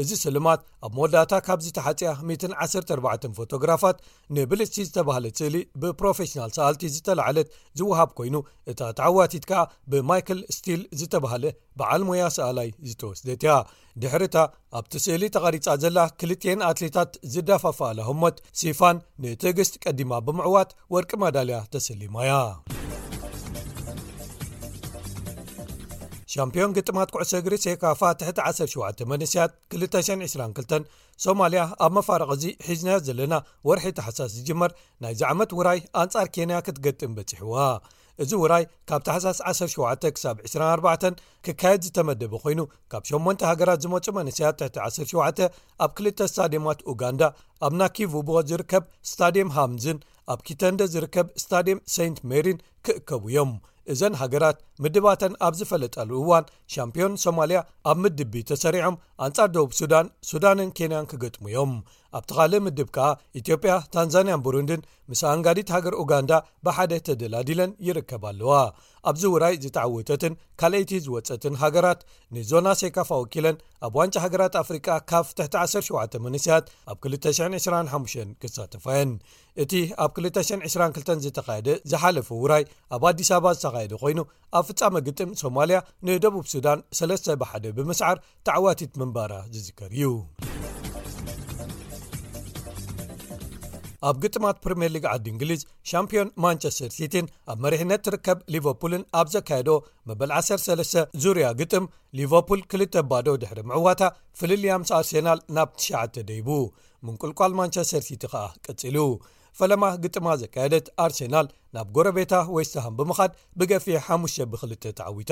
እዚ ስልማት ኣብ መወዳእታ ካብዚ ተሓጽያ ሚእትን ዓሰርተ ኣርባዕተን ፎቶግራፋት ንብልጽቲ ዝተባህለት ስእሊ ብፕሮፌሽናል ሰኣልቲ ዝተላዕለት ዝወሃብ ኮይኑ፣ እታ ተዓዋቲት ከኣ ብማይክል ስቲል ዝተባህለ በዓል ሞያ ሰኣላይ ዝተወስደት እያ። ድሕሪታ ኣብቲ ስእሊ ተቐሪጻ ዘላ ክልቲኤን ኣትሌታት ዝዳፋፋኣላ ህሞት፣ ሲፋን ንትዕግስት ቀዲማ ብምዕዋት ወርቂ መዳልያ ተሰሊማ እያ። ሻምፒዮን ግጥማት ኩዕሶ እግሪ ሴካፋ ትሕቲ ዓሰርተ ሸውዓተ መንእሰያት ክልተ ሽሕን ዕስራን ክልተን ሶማልያ ኣብ መፋረቕ እዚ ሒዝናዮ ዘለና ወርሒ ታሕሳስ ዝጅመር ናይዚ ዓመት ውራይ ኣንጻር ኬንያ ክትገጥም በጺሕዋ። እዚ ውራይ ካብ ታሕሳስ ዓሰርተ ሸውዓተ ክሳብ ዕስራን ኣርባዕተን ክካየድ ዝተመደበ ኮይኑ፣ ካብ ሸሞንተ ሃገራት ዝመጹ መንእሰያት ትሕቲ ዓሰርተ ሸውዓተ ኣብ ክልተ ስታድየማት ኡጋንዳ፣ ኣብ ናኪቩቦ ዝርከብ ስታድየም ሃምዝን ኣብ ኪተንደ ዝርከብ ስታድየም ሴንት ሜሪን ክእከቡ እዮም። እዘን ሃገራት ምድባተን ኣብ ዝፈለጣሉ እዋን፣ ሻምፒዮን ሶማልያ ኣብ ምድብ ቢ ተሰሪዖም ኣንጻር ደቡብ ሱዳን፣ ሱዳንን ኬንያን ክገጥሙ እዮም። ኣብቲ ካልእ ምድብ ከኣ ኢትዮጵያ፣ ታንዛንያን ቡሩንድን ምስ ኣንጋዲት ሃገር ኡጋንዳ ብሓደ ተደላዲለን ይርከባ ኣለዋ። ኣብዚ ውራይ ዝተዓወተትን ካልኣይቲ ዝወጸትን ሃገራት ንዞና ሴካፋ ወኪለን ኣብ ዋንጫ ሃገራት ኣፍሪቃ ካፍ ትሕቲ ዓሰርተ ሸውዓተ መንእሰያት ኣብ ክልተ ሽሕን ዕስራን ሓሙሽተን ክሳተፋ እየን። እቲ ኣብ ክልተ ሽሕን ዕስራን ክልተን ዝተኻየደ ዝሓለፈ ውራይ ኣብ ኣዲስ ኣበባ ዝተኻየደ ኮይኑ፣ ኣብ ፍጻመ ግጥም ሶማልያ ንደቡብ ሱዳን ሰለስተ ብሓደ ብምስዓር ተዓዋቲት ምንባራ ዝዝከር እዩ። ኣብ ግጥማት ፕሪምየር ሊግ ዓዲ እንግሊዝ፣ ሻምፒዮን ማንቸስተር ሲቲን ኣብ መሪሕነት ትርከብ ሊቨርፑልን ኣብ ዘካየዶ መበል ዓሰርተ ሰለስተ ዙርያ ግጥም፣ ሊቨርፑል ክልተ ባዶ ድሕሪ ምዕዋታ፣ ፍልልያ ምስ ኣርሴናል ናብ ትሽዓተ ደይቡ። ምንቁልቋል ማንቸስተር ሲቲ ከኣ ቀጺሉ። ፈለማ ግጥማ ዘካየደት ኣርሴናል ናብ ጎረቤታ ዌስትሃም ብምኻድ ብገፊሕ ሓሙሽተ ብክልተ ተዓዊታ።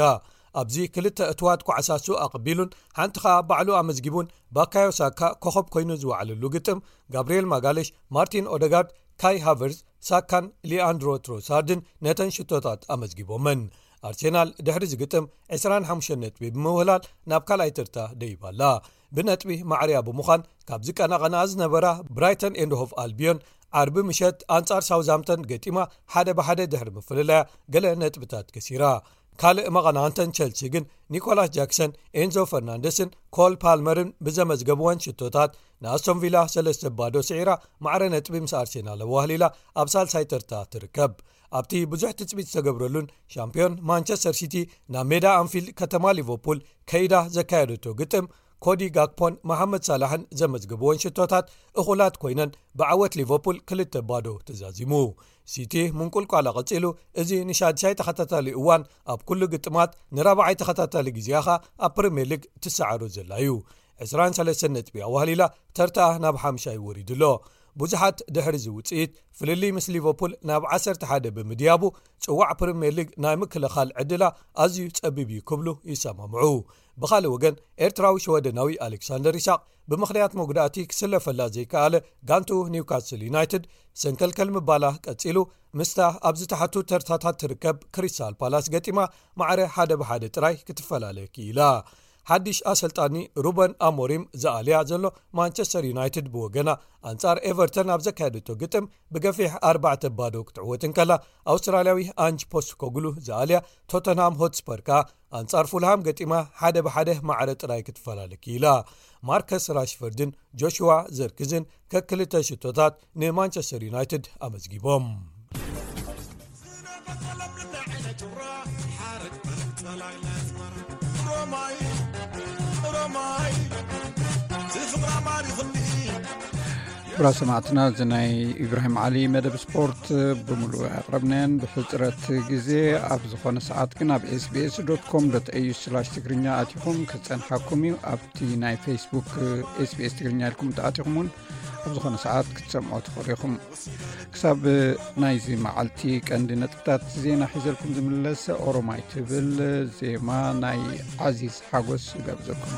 ኣብዚ ክልተ እትዋት ኳዕሳ ሱእ ኣቐቢሉን ሓንቲ ኸኣ ባዕሉ ኣመዝጊቡን፣ ባካዮ ሳካ ኮኸብ ኮይኑ ዝወዓለሉ ግጥም፣ ጋብርኤል ማጋለሽ፣ ማርቲን ኦደጋርድ፣ ካይ ሃቨርዝ፣ ሳካን ሊኣንድሮ ትሮሳርድን ነተን ሽቶታት ኣመዝጊቦመን። ኣርሴናል ድሕሪ ዝግጥም ዕስራን ሓሙሽተን ነጥቢ ብምውህላል ናብ ካልኣይ ተርታ ደይባ ኣላ። ብነጥቢ ማዕርያ ብምዃን ካብ ዝቀናቐና ዝነበራ ብራይተን ኤንድ ሆቭ ኣልቢዮን፣ ዓርቢ ምሸት ኣንጻር ሳውዝሃምተን ገጢማ ሓደ ብሓደ ድሕሪ ምፍልላያ ገለ ነጥብታት ከሲራ። ካልእ መቐናንተን ቸልሲ ግን፣ ኒኮላስ ጃክሰን፣ ኤንዞ ፈርናንደስን ኮል ፓልመርን ብዘመዝገብወን ሽቶታት ንኣስቶን ቪላ ሰለስተ ባዶ ስዒራ፣ ማዕረ ነጥቢ ምስ ኣርሴናል ኣዋህሊላ ኣብ ሳልሳይ ተርታ ትርከብ። ኣብቲ ብዙሕ ትጽቢት ዝተገብረሉን ሻምፒዮን ማንቸስተር ሲቲ ናብ ሜዳ ኣንፊልድ ከተማ ሊቨርፑል ከይዳ ዘካየደቶ ግጥም፣ ኮዲ ጋክፖን መሓመድ ሳላሕን ዘመዝገብወን ሽቶታት እኹላት ኮይነን፣ ብዓወት ሊቨርፑል ክልተ ባዶ ተዛዚሙ። ሲቲ ምንቁልቋላ ቀጺሉ፣ እዚ ንሻድሻይ ተኸታታሊ እዋን ኣብ ኩሉ ግጥማት ንራብዓይ ተኸታታሊ ግዜኣ ኸኣ ኣብ ፕሪምየር ሊግ ትሰዓሮ ዘላ እዩ። ዕስራን ሰለስተን ነጥቢ ኣዋህሊላ፣ ተርታኣ ናብ ሓምሻይ ወሪዱ ኣሎ። ብዙሓት ድሕሪ እዚ ውጽኢት፣ ፍልልይ ምስ ሊቨርፑል ናብ ዓሰርተ ሓደ ብምድያቡ፣ ጽዋዕ ፕሪምየር ሊግ ናይ ምክልኻል ዕድላ ኣዝዩ ጸቢብ እዩ ክብሉ ይሰማምዑ። ብኻልእ ወገን፣ ኤርትራዊ ሽወደናዊ ኣሌክሳንደር ይስሓቅ ብምኽንያት መጉዳእቲ ክስለፈላ ዘይከኣለ ጋንቱ ኒውካስል ዩናይትድ፣ ሰንከልከል ምባላ ቀጺሉ፣ ምስታ ኣብ ዝተሓቱ ተርታታት ትርከብ ክሪስታል ፓላስ ገጢማ፣ ማዕረ ሓደ ብሓደ ጥራይ ክትፈላለ ክኢላ። ሓድሽ ኣሰልጣኒ ሩበን ኣሞሪም ዝኣልያ ዘሎ ማንቸስተር ዩናይትድ ብወገና፣ ኣንጻር ኤቨርተን ኣብ ዘካየደቶ ግጥም ብገፊሕ ኣርባዕተ ባዶ ክትዕወት እንከላ፣ ኣውስትራልያዊ ኣንጅ ፖስኮግሉ ዝኣልያ ቶተንሃም ሆትስፐር ከኣ ኣንጻር ፉልሃም ገጢማ ሓደ ብሓደ ማዕረ ጥራይ ክትፈላለ ክኢላ። ማርከስ ራሽፈርድን ጆሽዋ ዘርክዝን ከክልተ ሽቶታት ንማንቸስተር ዩናይትድ ኣመዝጊቦም። ክቡራት ሰማዕትና፣ እዚ ናይ ኢብራሂም ዓሊ መደብ ስፖርት ብምሉእ ኣቕረብናየን። ብሕጽረት ግዜ ኣብ ዝኾነ ሰዓት ግን ኣብ ኤስቢኤስ ዶት ኮም ዶት ኤዩ ስላሽ ትግርኛ ኣቲኹም ክጸንሓኩም እዩ። ኣብቲ ናይ ፌስቡክ ኤስቢኤስ ትግርኛ ኢልኩም ተኣቲኹም እውን ኣብ ዝኾነ ሰዓት ክትሰምዑ ትኽእሉ ኢኹም። ክሳብ ናይዚ መዓልቲ ቀንዲ ነጥብታት ዜና ሒዘልኩም ዝምለስ ኦሮማይ ትብል ዜማ ናይ ዓዚዝ ሓጎስ ይጋብዘኩም።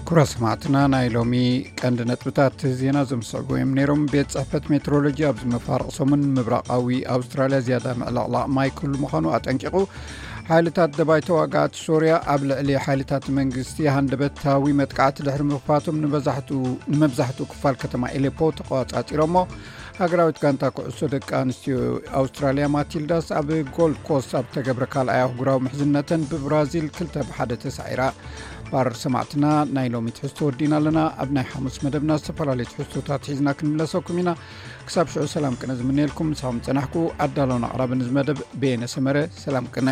ክቡራት ሰማዕትና፣ ናይ ሎሚ ቀንዲ ነጥብታት ዜና ዘምስዕቡ እዮም ነይሮም። ቤት ጽሕፈት ሜትሮሎጂ ኣብዚ መፋርቕ ሰሙን ምብራቓዊ ኣውስትራልያ ዝያዳ ምዕልቕላቕ ማይ ክህሉ ምዃኑ ኣጠንቂቑ። ሓይልታት ደባይ ተዋጋእቲ ሶርያ ኣብ ልዕሊ ሓይልታት መንግስቲ ሃንደበታዊ መጥቃዕቲ ድሕሪ ምኽፋቶም ንመብዛሕትኡ፣ ንመብዛሕትኡ ክፋል ከተማ ኤሌፖ ተቆጻጺሮሞ። ሃገራዊት ጋንታ ኩዕሶ ደቂ ኣንስትዮ ኣውስትራልያ ማቲልዳስ ኣብ ጎልድ ኮስት ኣብ ተገብረ ካልኣይ ኣህጉራዊ ምሕዝነተን ብብራዚል ክልተ ብሓደ ተሳዒራ። ባር ሰማዕትና፣ ናይ ሎሚ ትሕዝቶ ወዲና ኣለና። ኣብ ናይ ሓሙስ መደብና ዝተፈላለዩ ትሕዝቶታት ሒዝና ክንምለሰኩም ኢና። ክሳብ ሽዑ ሰላም ቅነ ዝምነየልኩም። ምሳኹም ጸናሕኩ ኣዳሎን ኣቕራብን እዚ መደብ በየነ ሰመረ። ሰላም ቅነ።